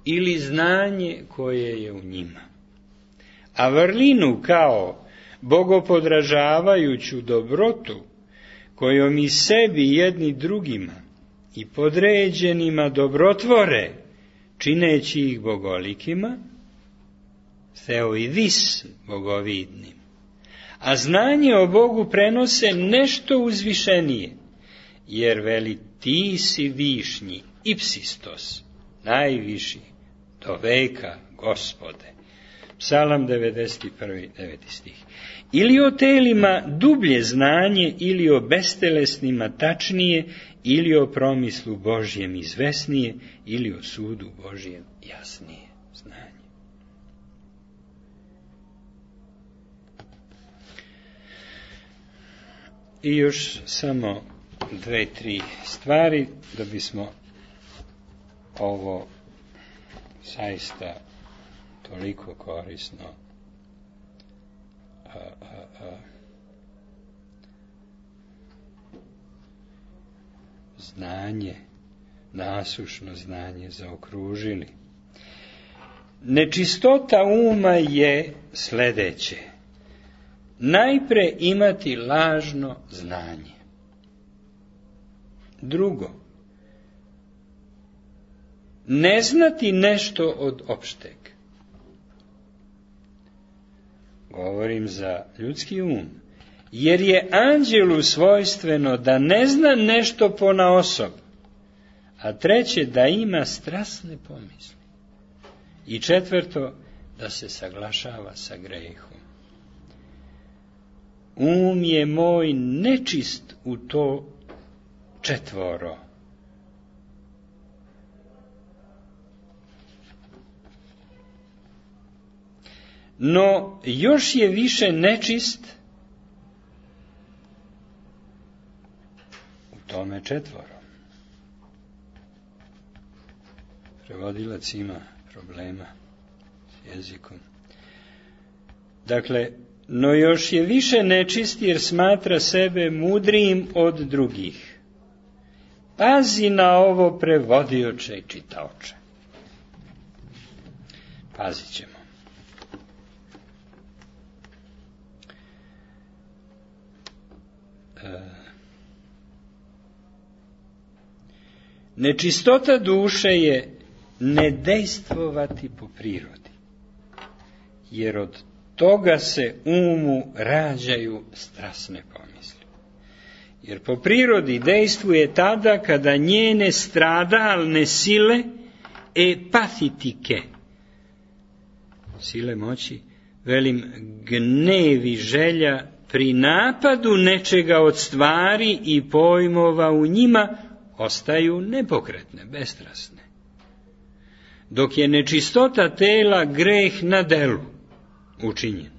ili znanje koje je u njima. A vrlinu kao bogopodražavajuću dobrotu kojom i sebi jedni drugima i podređenima dobrotvore, čineći ih bogolikima, theoidis bogovidnim. A znanje o Bogu prenose nešto uzvišenije, jer veli ti si višnji, ipsistos, najviši, do veka, Gospode. Psalam devedeset prvi, deveti stih. Ili o telima dublje znanje, ili o bestelesnima tačnije, ili o promislu Božjem izvesnije, ili o sudu Božjem jasnije znanje. I još samo dve, tri stvari da bismo ovo zaista toliko korisno a, a, a, znanje, nasušno znanje zaokružili. Nečistota uma je sljedeće. Najpre imati lažno znanje. Drugo, ne znati nešto od opšteg. Govorim za ljudski um, jer je anđelu svojstveno da ne zna nešto ponaosob, a treće da ima strasne pomisli. I četvrto, da se saglašava sa grehom. Um je moj nečist u to četvoro. No, još je više nečist u tome četvoro. Prevodilac ima problema s jezikom. Dakle, no još je više nečist jer smatra sebe mudrijim od drugih. Pazi na ovo, prevodioče i čitaoče. Pazit ćemo. Nečistota duše je ne dejstvovati po prirodi, jer od toga se umu rađaju strasne pomisli. jer po prirodi dejstvuje tada kada njene stradalne sile epatitike, sile moći, velim gnevi želja pri napadu nečega od stvari i pojmova u njima ostaju nepokretne, bestrasne. Dok je nečistota tela greh na delu učinjen.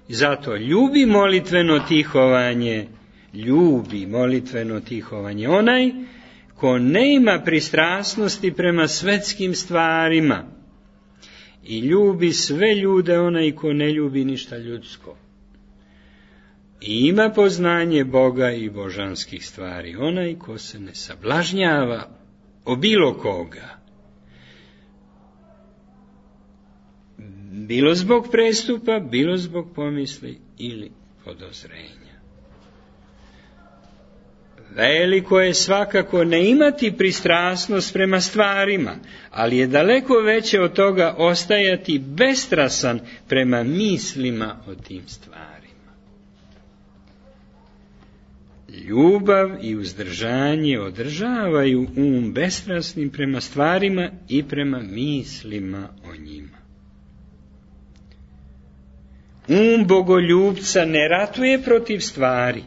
Zato ljubi molitveno tihovanje, ljubi molitveno tihovanje onaj ko ne ima pristrasnosti prema svetskim stvarima i ljubi sve ljude onaj ko ne ljubi ništa ljudsko. I ima poznanje Boga i božanskih stvari onaj ko se ne sablažnjava o bilo koga, bilo zbog prestupa, bilo zbog pomisli ili podozrenja. Veliko je svakako ne imati pristrasnost prema stvarima, ali je daleko veće od toga ostajati bestrasan prema mislima o tim stvarima. Ljubav i uzdržanje održavaju um bestrasnim prema stvarima i prema mislima o njima. Um bogoljubca ne ratuje protiv stvari,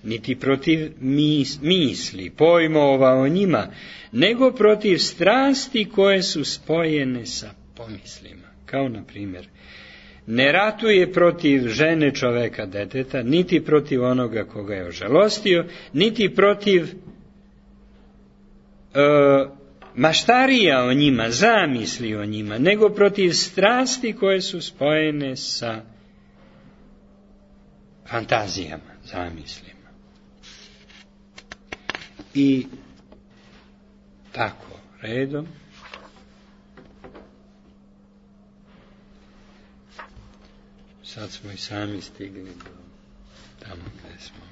niti protiv mis, misli, pojmova o njima, nego protiv strasti koje su spojene sa pomislima. Kao na primjer, ne ratuje protiv žene čoveka deteta, niti protiv onoga koga je ožalostio, niti protiv e, maštarija o njima, zamisli o njima, nego protiv strasti koje su spojene sa fantazijama, zamislima. I tako, redom. Sad smo i sami stigli do tamo gdje smo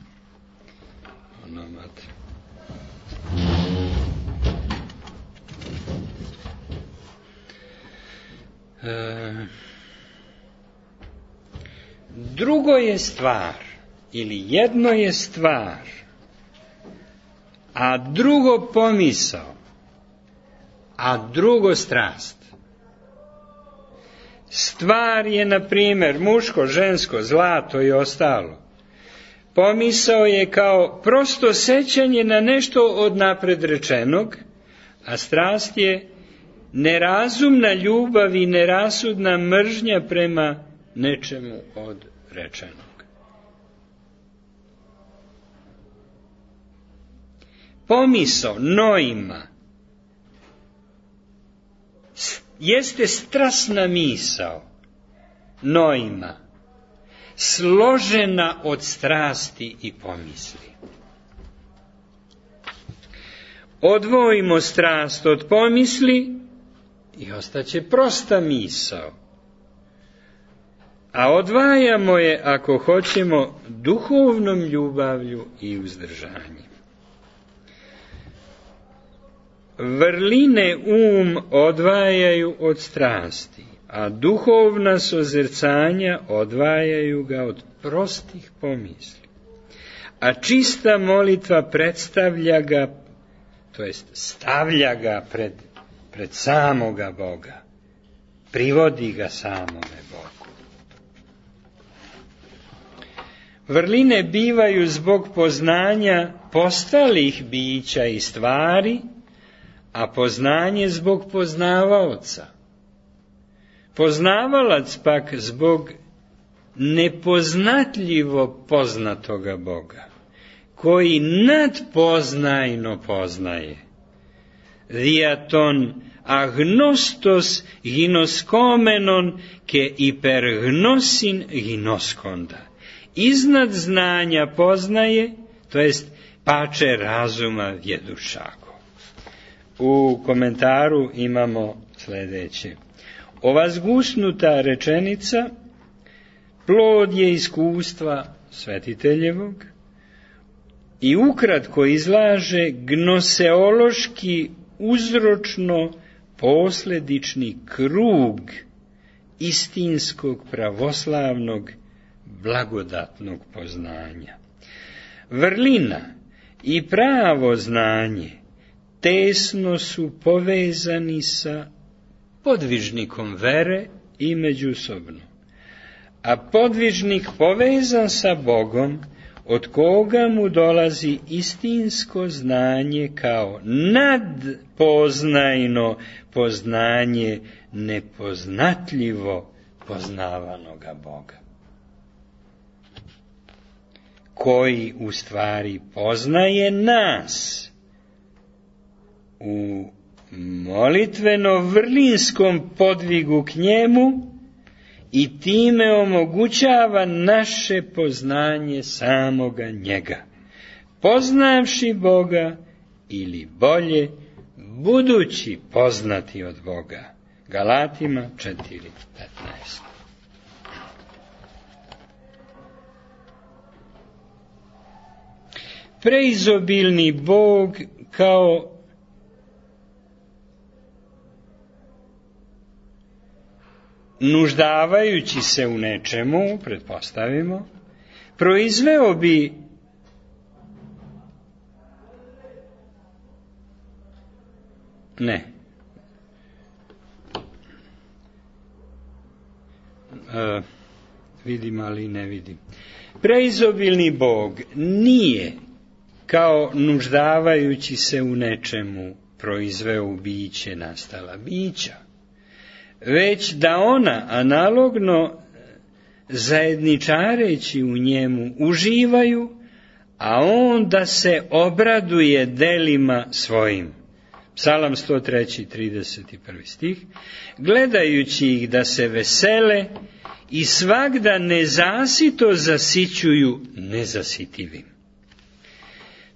onomad. E, drugo je stvar, ili jedno je stvar, a drugo pomisao, a drugo strast. Stvar je, na primjer, muško, žensko, zlato i ostalo. Pomisao je kao prosto sećanje na nešto od napred rečenog, a strast je nerazumna ljubav i nerasudna mržnja prema nečemu od rečenog. Pomisao, noima, jeste strasna misao, noima, složena od strasti i pomisli. Odvojimo strast od pomisli i ostaće prosta misao. A odvajamo je, ako hoćemo, duhovnom ljubavlju i uzdržanjem. Vrline um odvajaju od strasti, a duhovna sozrcanja odvajaju ga od prostih pomisli. A čista molitva predstavlja ga, to jest stavlja ga pred, pred samoga Boga, privodi ga samome Bogu. Vrline bivaju zbog poznanja postalih bića i stvari, a poznanje zbog poznavaoca. Poznavalac pak zbog nepoznatljivo poznatoga Boga, koji nadpoznajno poznaje. Diaton agnostos ginoskomenon ke hipergnosin ginoskonda. Iznad znanja poznaje, to jest pače razuma vjedušako. U komentaru imamo sljedeće. Ova zgusnuta rečenica plod je iskustva svetiteljevog i ukratko izlaže gnoseološki uzročno posledični krug istinskog pravoslavnog blagodatnog poznanja. Vrlina i pravo znanje tesno su povezani sa podvižnikom vere i međusobno. A podvižnik povezan sa Bogom, od koga mu dolazi istinsko znanje kao nadpoznajno poznanje nepoznatljivo poznavanoga Boga, koji u stvari poznaje nas u molitveno-vrlinskom podvigu k njemu i time omogućava naše poznanje samoga njega, poznavši Boga ili bolje, budući poznati od Boga. Galatima četiri petnaest. Preizobilni Bog kao nuždavajući se u nečemu, pretpostavimo, proizveo bi ne e, vidim, ali ne vidim. Preizobilni Bog nije kao nuždavajući se u nečemu proizveo u biće nastala bića, već da ona analogno zajedničareći u njemu uživaju, a on da se obraduje delima svojim. Psalam sto tri, trideset prvi stih. Gledajući ih da se vesele i svagda nezasito zasićuju nezasitivim.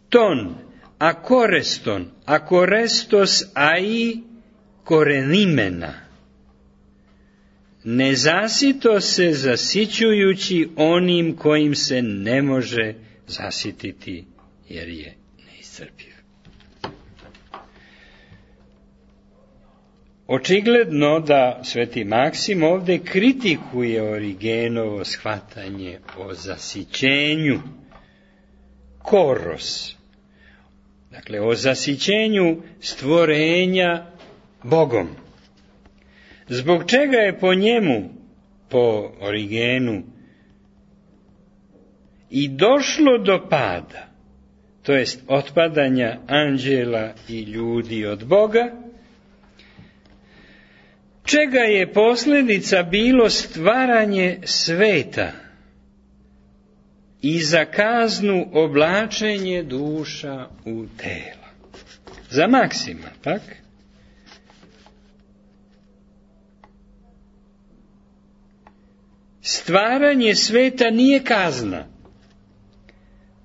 Ton, akoreston, akorestos, a i korenimena. Nezasito se zasićujući onim kojim se ne može zasititi, jer je neiscrpiv. Očigledno da sveti Maksim ovdje kritikuje Origenovo shvatanje o zasićenju, koros, dakle o zasićenju stvorenja Bogom. Zbog čega je po njemu, po Origenu, i došlo do pada, to jest otpadanja anđela i ljudi od Boga, čega je posljedica bilo stvaranje sveta i za kaznu oblačenje duša u tela. Za Maksima, pak, stvaranje sveta nije kazna,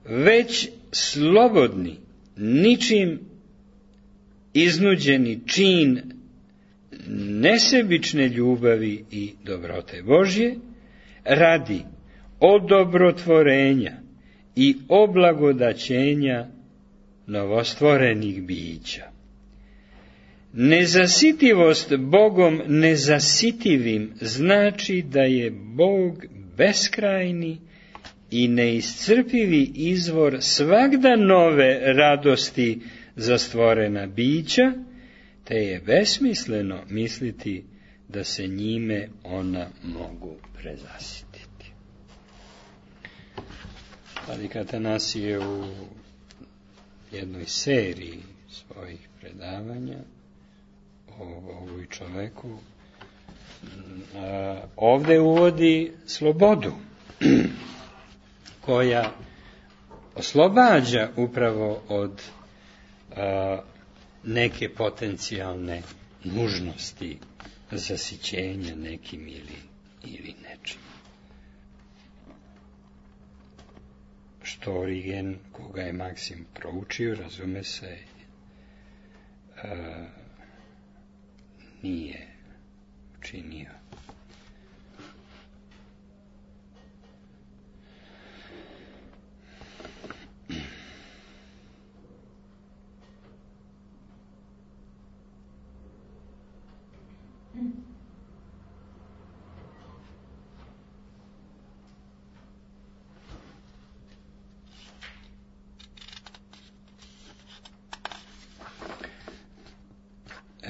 već slobodni, ničim iznuđeni čin nesebične ljubavi i dobrote Božje radi odobrotvorenja i oblagodaćenja novostvorenih bića. Nezasitivost Bogom nezasitivim znači da je Bog beskrajni i neiscrpivi izvor svagda nove radosti za stvorena bića, te je besmisleno misliti da se njime ona mogu prezasititi. Vladika Atanasije u jednoj seriji svojih predavanja o ovoj čoveku a, ovdje uvodi slobodu koja oslobađa upravo od a, neke potencijalne nužnosti zasićenja nekim ili, ili nečim. Što Origen, koga je Maksim proučio, razume se, a, nije učinio.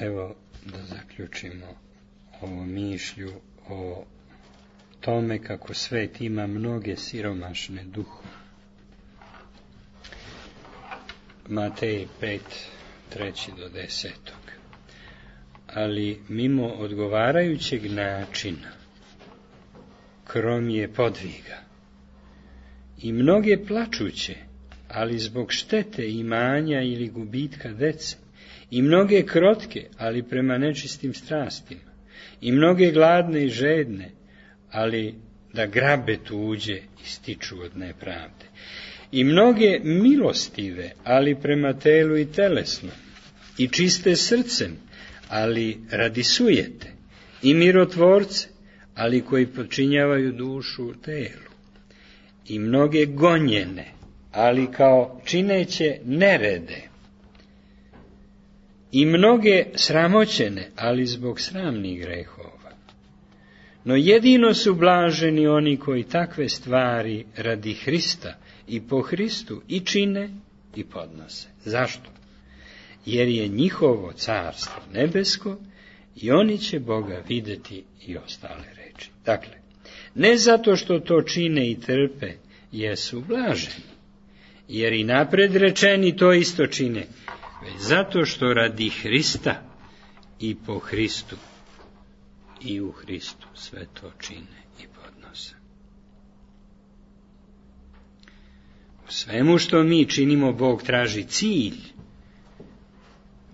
Evo da zaključimo ovu mišlju o tome kako svet ima mnoge siromašne duhove. Matej pet, treći do desetog. Ali mimo odgovarajućeg načina, krom je podviga, i mnoge plačuće, ali zbog štete imanja ili gubitka dece, i mnoge krotke, ali prema nečistim strastima, i mnoge gladne i žedne, ali da grabe tuđe i stiču od nepravde, i mnoge milostive, ali prema telu i telesnom, i čiste srcem, ali radi sujete, i mirotvorce, ali koji podčinjavaju dušu telu, i mnoge gonjene, ali kao čineće nerede, i mnoge sramoćene, ali zbog sramnih grehova. No jedino su blaženi oni koji takve stvari radi Hrista i po Hristu i čine i podnose. Zašto? Jer je njihovo carstvo nebesko i oni će Boga videti i ostale reči. Dakle, ne zato što to čine i trpe, jesu blaženi, jer i napred rečeni to isto čine, već zato što radi Hrista i po Hristu i u Hristu sve to čine i podnose. U svemu što mi činimo, Bog traži cilj,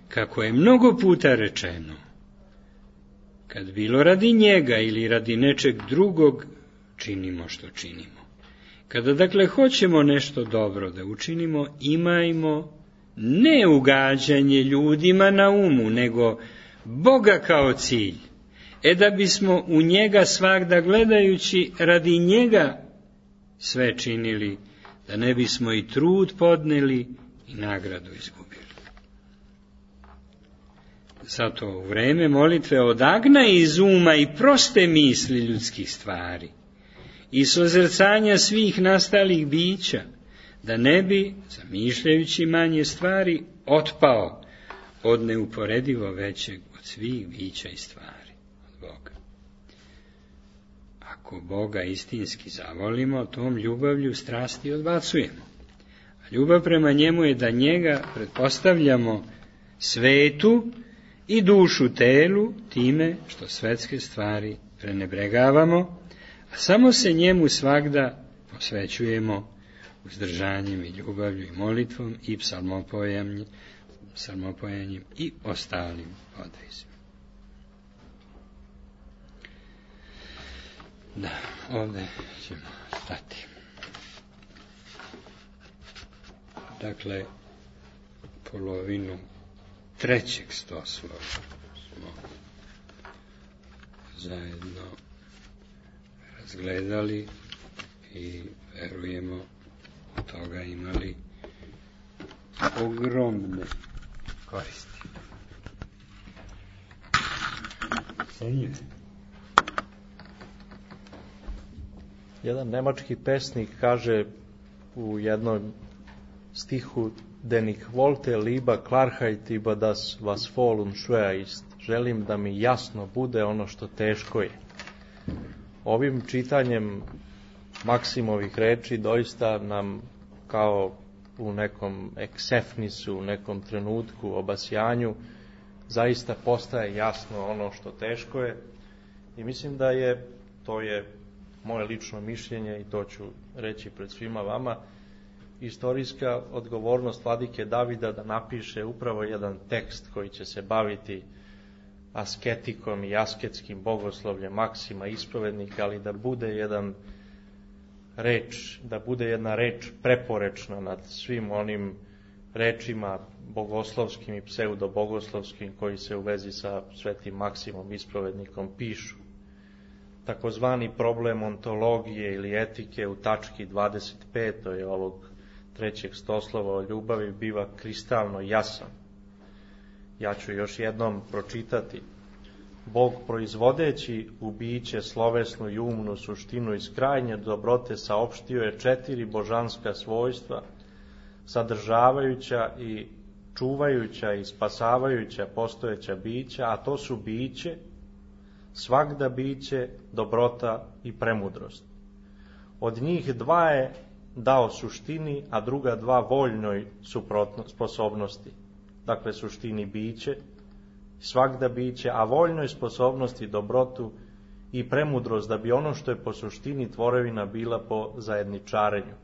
kako je mnogo puta rečeno, kad bilo radi njega ili radi nečeg drugog, činimo što činimo. Kada dakle hoćemo nešto dobro da učinimo, imajmo ne ugađanje ljudima na umu, nego Boga kao cilj. E da bismo u njega svagda gledajući radi njega sve činili, da ne bismo i trud podneli i nagradu izgubili. Zato u vreme molitve odagna iz uma i proste misli ljudskih stvari i sozrcanja svih nastalih bića, da ne bi, zamišljajući manje stvari, otpao od neuporedivo većeg od svih bića i stvari, od Boga. Ako Boga istinski zavolimo, tom ljubavlju strasti odbacujemo. A ljubav prema njemu je da njega pretpostavljamo svetu i dušu telu time što svetske stvari prenebregavamo, a samo se njemu svagda posvećujemo uzdržanjem i ljubavlju i molitvom i psalmopojanjem, psalmopojanjem i ostalim podvizima. Da, ovdje ćemo stati. Dakle, polovinu trećeg stoslova smo zajedno razgledali i verujemo od toga imali ogromne koristi. Senjuje. Jedan nemački pesnik kaže u jednom stihu: Den ich wollte lieber Klarheit über das was voll und schwer ist. Želim da mi jasno bude ono što teško je. Ovim čitanjem Maksimovih reči doista nam kao u nekom eksefnisu, u nekom trenutku, obasjanju, zaista postaje jasno ono što teško je. I mislim da je, to je moje lično mišljenje i to ću reći pred svima vama, istorijska odgovornost vladike Davida da napiše upravo jedan tekst koji će se baviti asketikom i asketskim bogoslovljem Maksima isprovednika, ali da bude jedan reč, da bude jedna reč preporečna nad svim onim rečima bogoslovskim i pseudobogoslovskim koji se u vezi sa svetim Maksimom isprovednikom pišu. Takozvani problem ontologije ili etike u tački dvadeset pet je ovog trećeg stoslova o ljubavi biva kristalno jasan. Ja ću još jednom pročitati. Bog, proizvodeći u biće slovesnu i umnu suštinu iz krajnje dobrote, saopštio je četiri božanska svojstva, sadržavajuća i čuvajuća i spasavajuća postojeća bića, a to su biće, svagda biće, dobrota i premudrost. Od njih dva je dao suštini, a druga dva voljnoj suprotno, sposobnosti. Dakle, suštini biće, svagda biće, a voljnoj sposobnosti dobrotu i premudrost, da bi ono što je po suštini tvorevina bila po zajedničarenju.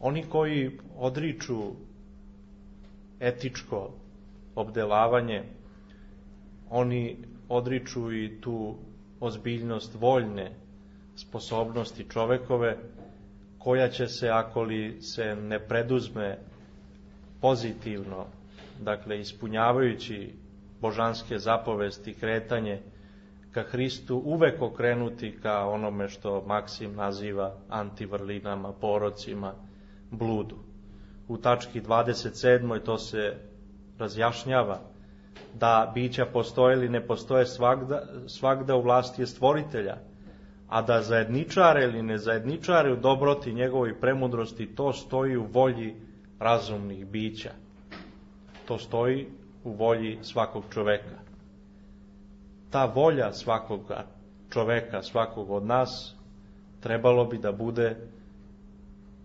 Oni koji odriču etičko obdelavanje, oni odriču i tu ozbiljnost voljne sposobnosti čovekove, koja će se, ako li se ne preduzme pozitivno, dakle ispunjavajući božanske zapovesti, kretanje ka Hristu, uvek okrenuti ka onome što Maksim naziva antivrlinama, porocima, bludu. U tački dvadeset sedmoj to se razjašnjava, da bića postoje ili ne postoje svagda, svagda u vlasti je stvoritelja, a da zajedničare ili ne zajedničare u dobroti njegovoj premudrosti, to stoji u volji razumnih bića. To stoji u volji svakog čoveka. Ta volja svakog čoveka, svakog od nas, trebalo bi da bude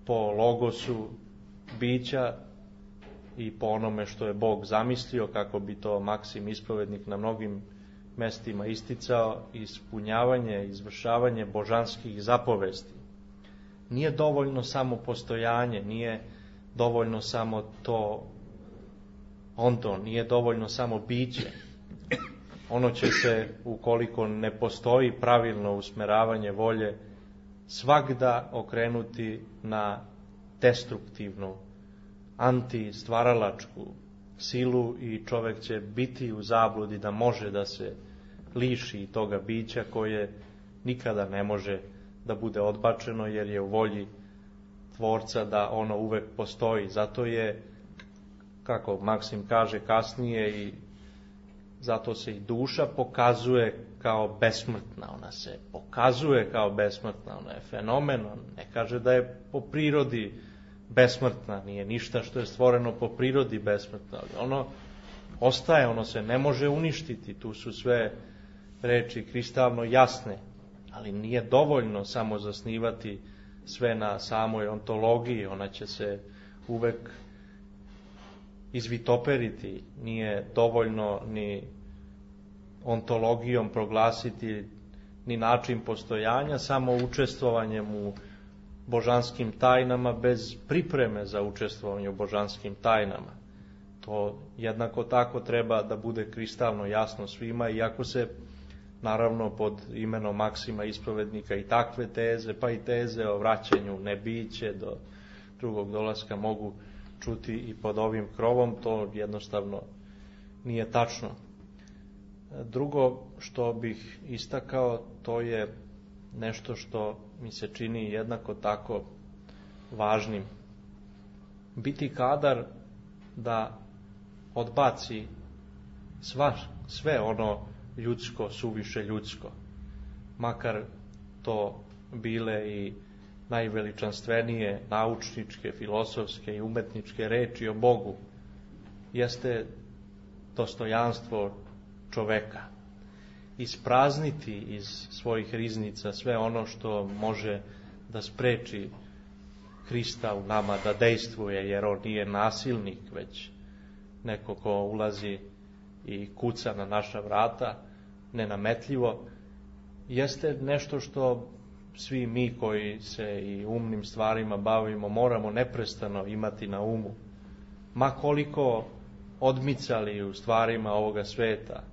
po logosu bića i po onome što je Bog zamislio, kako bi to Maksim ispovednik na mnogim mestima isticao, ispunjavanje, izvršavanje božanskih zapovesti. Nije dovoljno samo postojanje, nije dovoljno samo to ondo, nije dovoljno samo biće. Ono će se, ukoliko ne postoji pravilno usmeravanje volje, svagda okrenuti na destruktivnu, antistvaralačku silu i čovek će biti u zabludi da može da se liši toga bića koje nikada ne može da bude odbačeno, jer je u volji Tvorca da ono uvek postoji. Zato je, kako Maksim kaže kasnije, i zato se i duša pokazuje kao besmrtna. Ona se pokazuje kao besmrtna, ona je fenomen, on ne kaže da je po prirodi besmrtna, nije ništa što je stvoreno po prirodi besmrtno, ali ono ostaje, ono se ne može uništiti, tu su sve reči kristalno jasne, ali nije dovoljno samo zasnivati sve na samoj ontologiji, ona će se uvek izvitoperiti, nije dovoljno ni ontologijom proglasiti ni način postojanja, samo učestvovanjem u božanskim tajnama bez pripreme za učestvovanje u božanskim tajnama. To jednako tako treba da bude kristalno jasno svima, iako se naravno pod imenom Maksima ispovednika i takve teze, pa i teze o vraćanju nebiće do drugog dolaska mogu čuti i pod ovim krovom, to jednostavno nije tačno. Drugo što bih istakao, to je nešto što mi se čini jednako tako važnim. Biti kadar da odbaci sva, sve ono ljudsko, suviše ljudsko, makar to bile i najveličanstvenije naučničke, filosofske i umetničke reči o Bogu, jeste dostojanstvo čoveka. Isprazniti iz svojih riznica sve ono što može da spreči Hrista u nama da dejstvuje, jer on nije nasilnik, već neko ko ulazi i kuca na naša vrata, nenametljivo, jeste nešto što svi mi koji se i umnim stvarima bavimo moramo neprestano imati na umu. Ma koliko odmicali u stvarima ovoga sveta,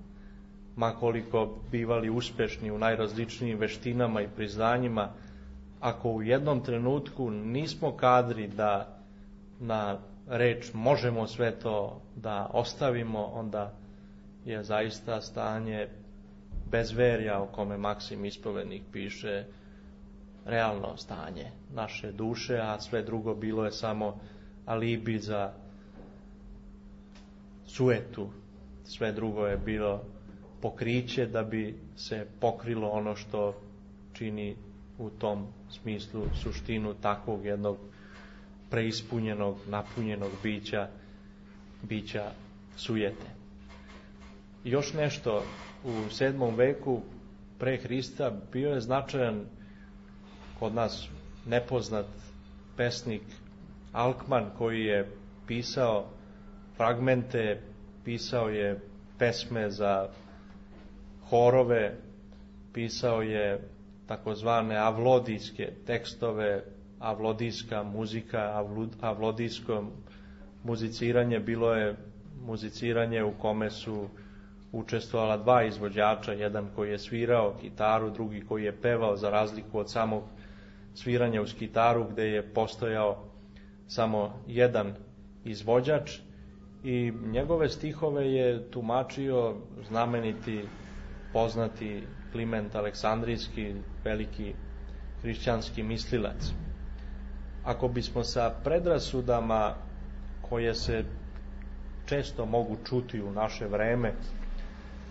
ma koliko bivali uspešni u najrazličnijim veštinama i priznanjima, ako u jednom trenutku nismo kadri da na reč možemo sve to da ostavimo, onda je zaista stanje bezverja o kome Maksim ispovednik piše realno stanje naše duše, a sve drugo bilo je samo alibi za suetu. Sve drugo je bilo pokriće da bi se pokrilo ono što čini u tom smislu suštinu takvog jednog preispunjenog, napunjenog bića bića sujete. I još nešto, u sedmom veku pre Hrista bio je značajan kod nas nepoznat pesnik Alkman, koji je pisao fragmente, pisao je pesme za horove, pisao je takozvane avlodijske tekstove, avlodijska muzika, avlodijsko muziciranje, bilo je muziciranje u kome su učestvovala dva izvođača, jedan koji je svirao gitaru, drugi koji je pevao, za razliku od samog sviranja uz gitaru gde je postojao samo jedan izvođač, i njegove stihove je tumačio znameniti, poznati Kliment Aleksandrijski, veliki hrišćanski mislilac. Ako bismo sa predrasudama koje se često mogu čuti u naše vreme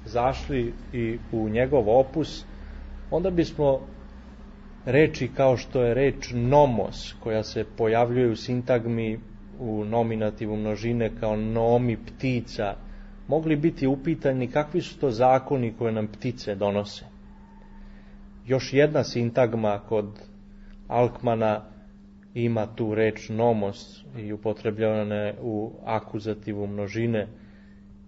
zašli i u njegov opus, onda bismo reči kao što je reč nomos, koja se pojavljuje u sintagmi u nominativu množine kao nomi ptica, mogli biti upitani kakvi su to zakoni koje nam ptice donose. Još jedna sintagma kod Alkmana ima tu reč nomos i upotrebljavana je u akuzativu množine,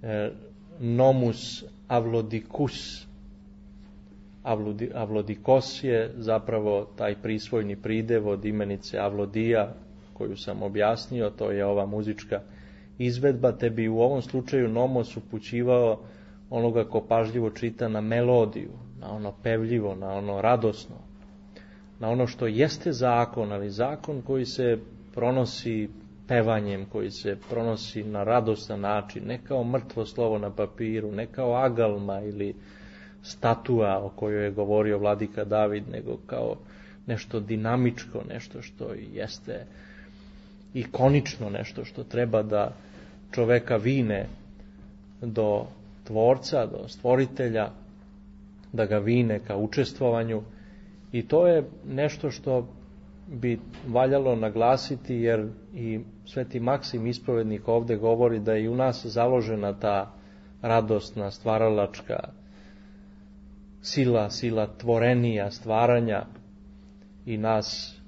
e, nomus avlodikus. Avlodi, avlodikos je zapravo taj prisvojni pridev od imenice avlodija, koju sam objasnio, to je ova muzička izvedba, te bi u ovom slučaju nomos upućivao onoga ko pažljivo čita na melodiju, na ono pevljivo, na ono radosno, na ono što jeste zakon, ali zakon koji se pronosi pevanjem, koji se pronosi na radostan način, ne kao mrtvo slovo na papiru, ne kao agalma ili statua o kojoj je govorio vladika David, nego kao nešto dinamičko, nešto što jeste ikonično, nešto što treba da čoveka vine do tvorca, do stvoritelja, da ga vine ka učestvovanju. I to je nešto što bi valjalo naglasiti, jer i Sveti Maksim ispovednik ovde govori da je i u nas založena ta radosna, stvaralačka sila, sila tvorenija, stvaranja, i nas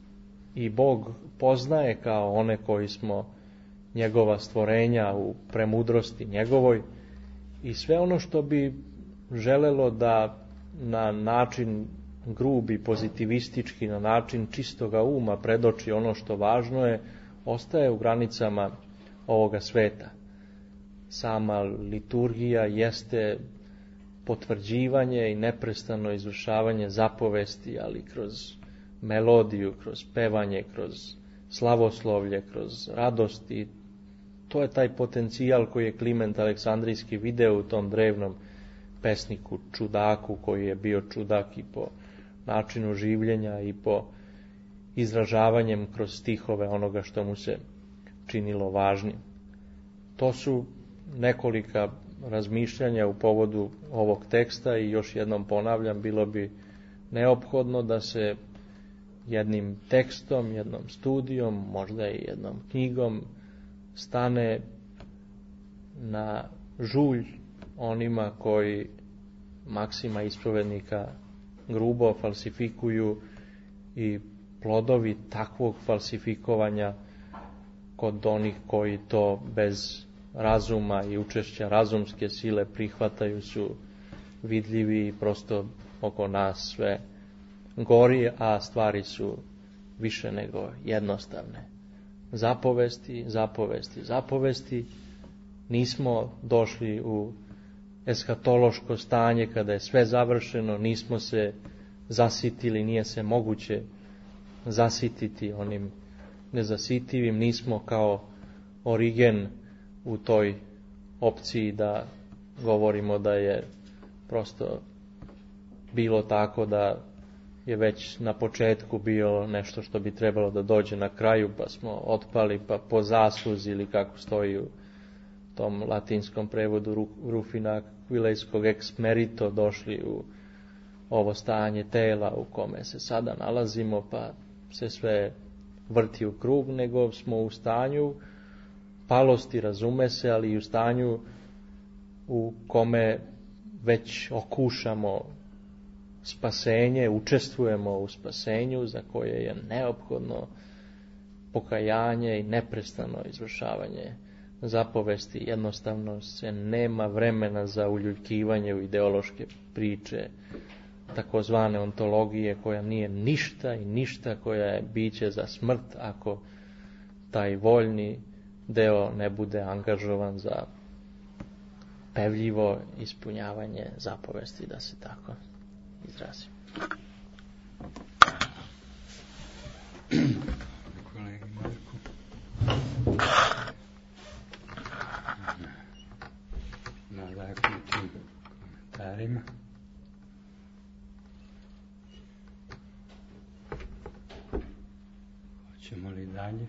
i Bog poznaje kao one koji smo njegova stvorenja u premudrosti njegovoj, i sve ono što bi želelo da na način grubi, pozitivistički, na način čistoga uma predoči ono što važno je, ostaje u granicama ovoga sveta. Sama liturgija jeste potvrđivanje i neprestano izvršavanje zapovesti, ali kroz melodiju, kroz pevanje, kroz slavoslovlje, kroz radost, i to je taj potencijal koji je Kliment Aleksandrijski video u tom drevnom pesniku čudaku, koji je bio čudak i po načinu življenja i po izražavanjem kroz stihove onoga što mu se činilo važnim. To su nekolika razmišljanja u povodu ovog teksta, i još jednom ponavljam, bilo bi neophodno da se jednim tekstom, jednom studijom, možda i jednom knjigom stane na žulj onima koji Maksima ispovednika grubo falsifikuju, i plodovi takvog falsifikovanja kod onih koji to bez razuma i učešća razumske sile prihvataju su vidljivi i prosto oko nas sve gori, a stvari su više nego jednostavne. Zapovesti, zapovesti, zapovesti. Nismo došli u eskatološko stanje kada je sve završeno, nismo se zasitili, nije se moguće zasititi onim nezasitivim, nismo kao Origen u toj opciji da govorimo da je prosto bilo tako da je već na početku bilo nešto što bi trebalo da dođe na kraju, pa smo otpali, pa po zasluzi, ili kako stoji u tom latinskom prevodu Rufina Kvilejskog ex merito, došli u ovo stanje tela u kome se sada nalazimo, pa se sve vrti u krug, nego smo u stanju palosti, razume se, ali i u stanju u kome već okušamo spasenje, učestvujemo u spasenju za koje je neophodno pokajanje i neprestano izvršavanje zapovesti. Jednostavno se nema vremena za uljuljkivanje u ideološke priče, takozvane ontologije, koja nije ništa i ništa, koja je biće za smrt ako taj voljni deo ne bude angažovan za pevljivo ispunjavanje zapovesti, da se tako izrazim. Kolegi Marku. Nadahnutim komentarima. Hoćemo li dalje?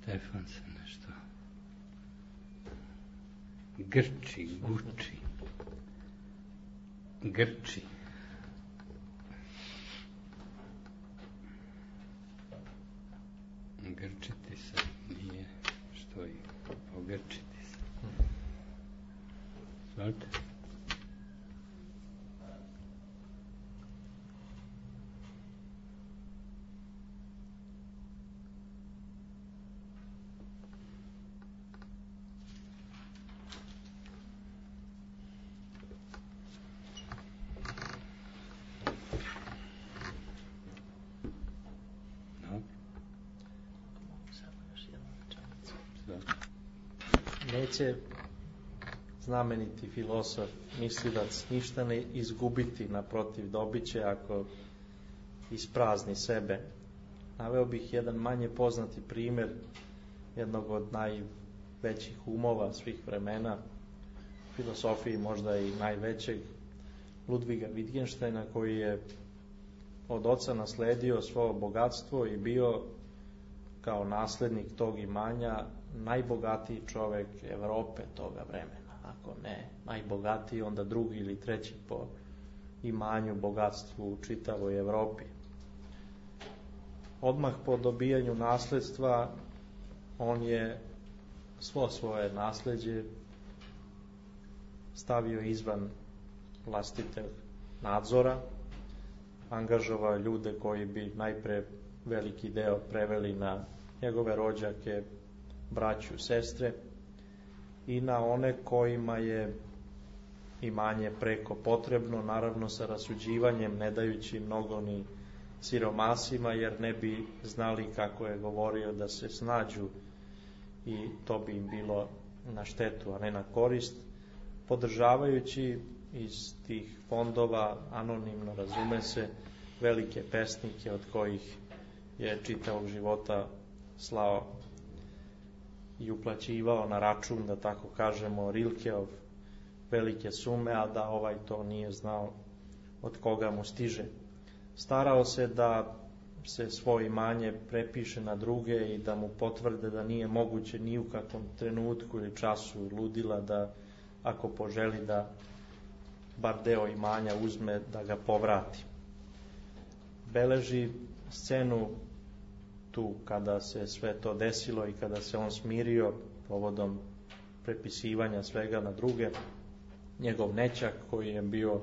Stefan se nešto grči, guči, grči. Grčiti se nije što i ogrčiti se. Znate? Neće znameniti filosof, mislilac, ništa ne izgubiti, naprotiv dobiće ako isprazni sebe. Naveo bih jedan manje poznati primjer jednog od najvećih umova svih vremena, filosofiji možda i najvećeg, Ludviga Wittgensteina, koji je od oca nasledio svoje bogatstvo i bio kao naslednik tog imanja najbogatiji čovjek Europe toga vremena. Ako ne najbogatiji, onda drugi ili treći po imanju, bogatstvu u čitavoj Europi. Odmah po dobijanju nasljedstva on je svo svoje nasljeđe stavio izvan vlastitog nadzora, angažovao ljude koji bi najpre veliki deo preveli na njegove rođake, braću, sestre, i na one kojima je imanje preko potrebno, naravno sa rasuđivanjem, ne dajući mnogo ni siromasima, jer ne bi znali, kako je govorio, da se snađu i to bi im bilo na štetu, a ne na korist, podržavajući iz tih fondova, anonimno razume se, velike pesnike od kojih je čitavog života slao i uplaćivao na račun, da tako kažemo, Rilkeov velike sume, a da ovaj to nije znao od koga mu stiže. Starao se da se svoje imanje prepiše na druge i da mu potvrde da nije moguće ni u kakvom trenutku ili času ludila da, ako poželi da bar deo imanja uzme, da ga povrati. Beleži scenu tu kada se sve to desilo i kada se on smirio povodom prepisivanja svega na druge. Njegov nećak, koji je bio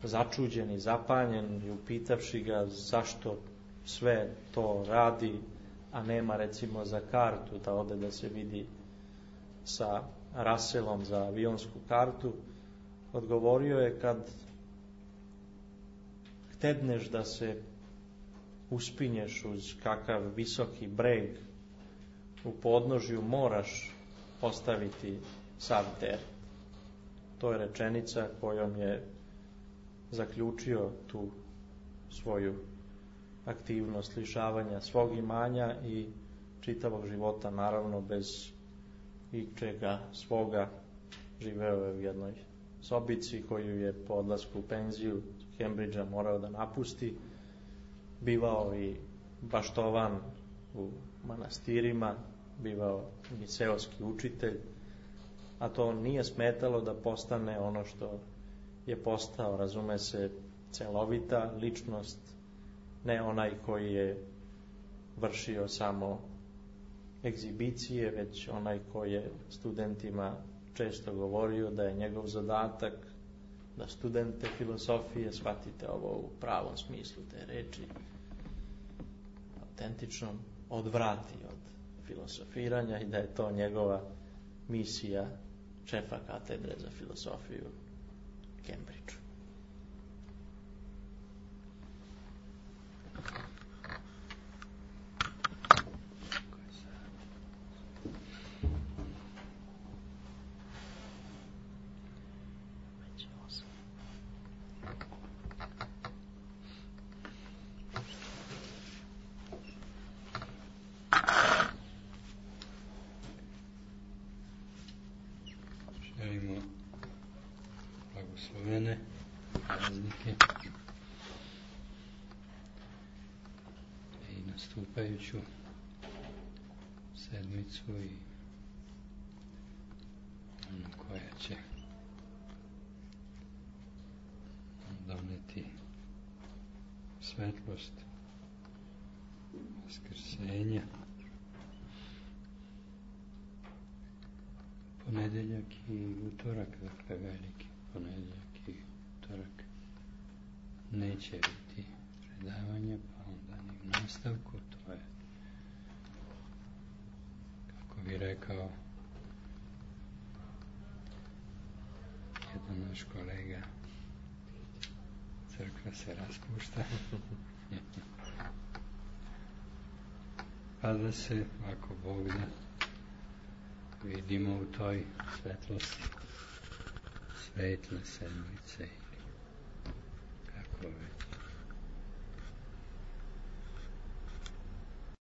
začuđen i zapanjen i upitavši ga zašto sve to radi, a nema recimo za kartu da ode da se vidi sa Russellom za avionsku kartu, odgovorio je: kad htedneš da se uspinješ uz kakav visoki breg, u podnožju moraš ostaviti sav teret. To je rečenica kojom je zaključio tu svoju aktivnost lišavanja svog imanja i čitavog života, naravno bez ičega svoga. Živeo je u jednoj sobici koju je po odlasku u penziju Cambridgea morao da napusti. Bivao i baštovan u manastirima, bivao i seoski učitelj, a to nije smetalo da postane ono što je postao, razume se, celovita ličnost, ne onaj koji je vršio samo egzibicije, već onaj koji je studentima često govorio da je njegov zadatak da studente filosofije, shvatite ovo u pravom smislu te reči, autentično odvrati od filosofiranja i da je to njegova misija šefa katedre za filosofiju u Cambridgeu. Želimo blagoslovene praznike i nastupajuću sedmicu i onu koja će doneti svetlost vaskrsenja. Ponedeljak i utorak, dakle veliki ponedeljak i utorak neće biti predavanja, pa onda ni u nastavku, to je, kako bi rekao jedan naš kolega, crkva se raspušta. Pa da se, ako Bog da, vidimo u toj svetlosti svetle sedmice ili kako već.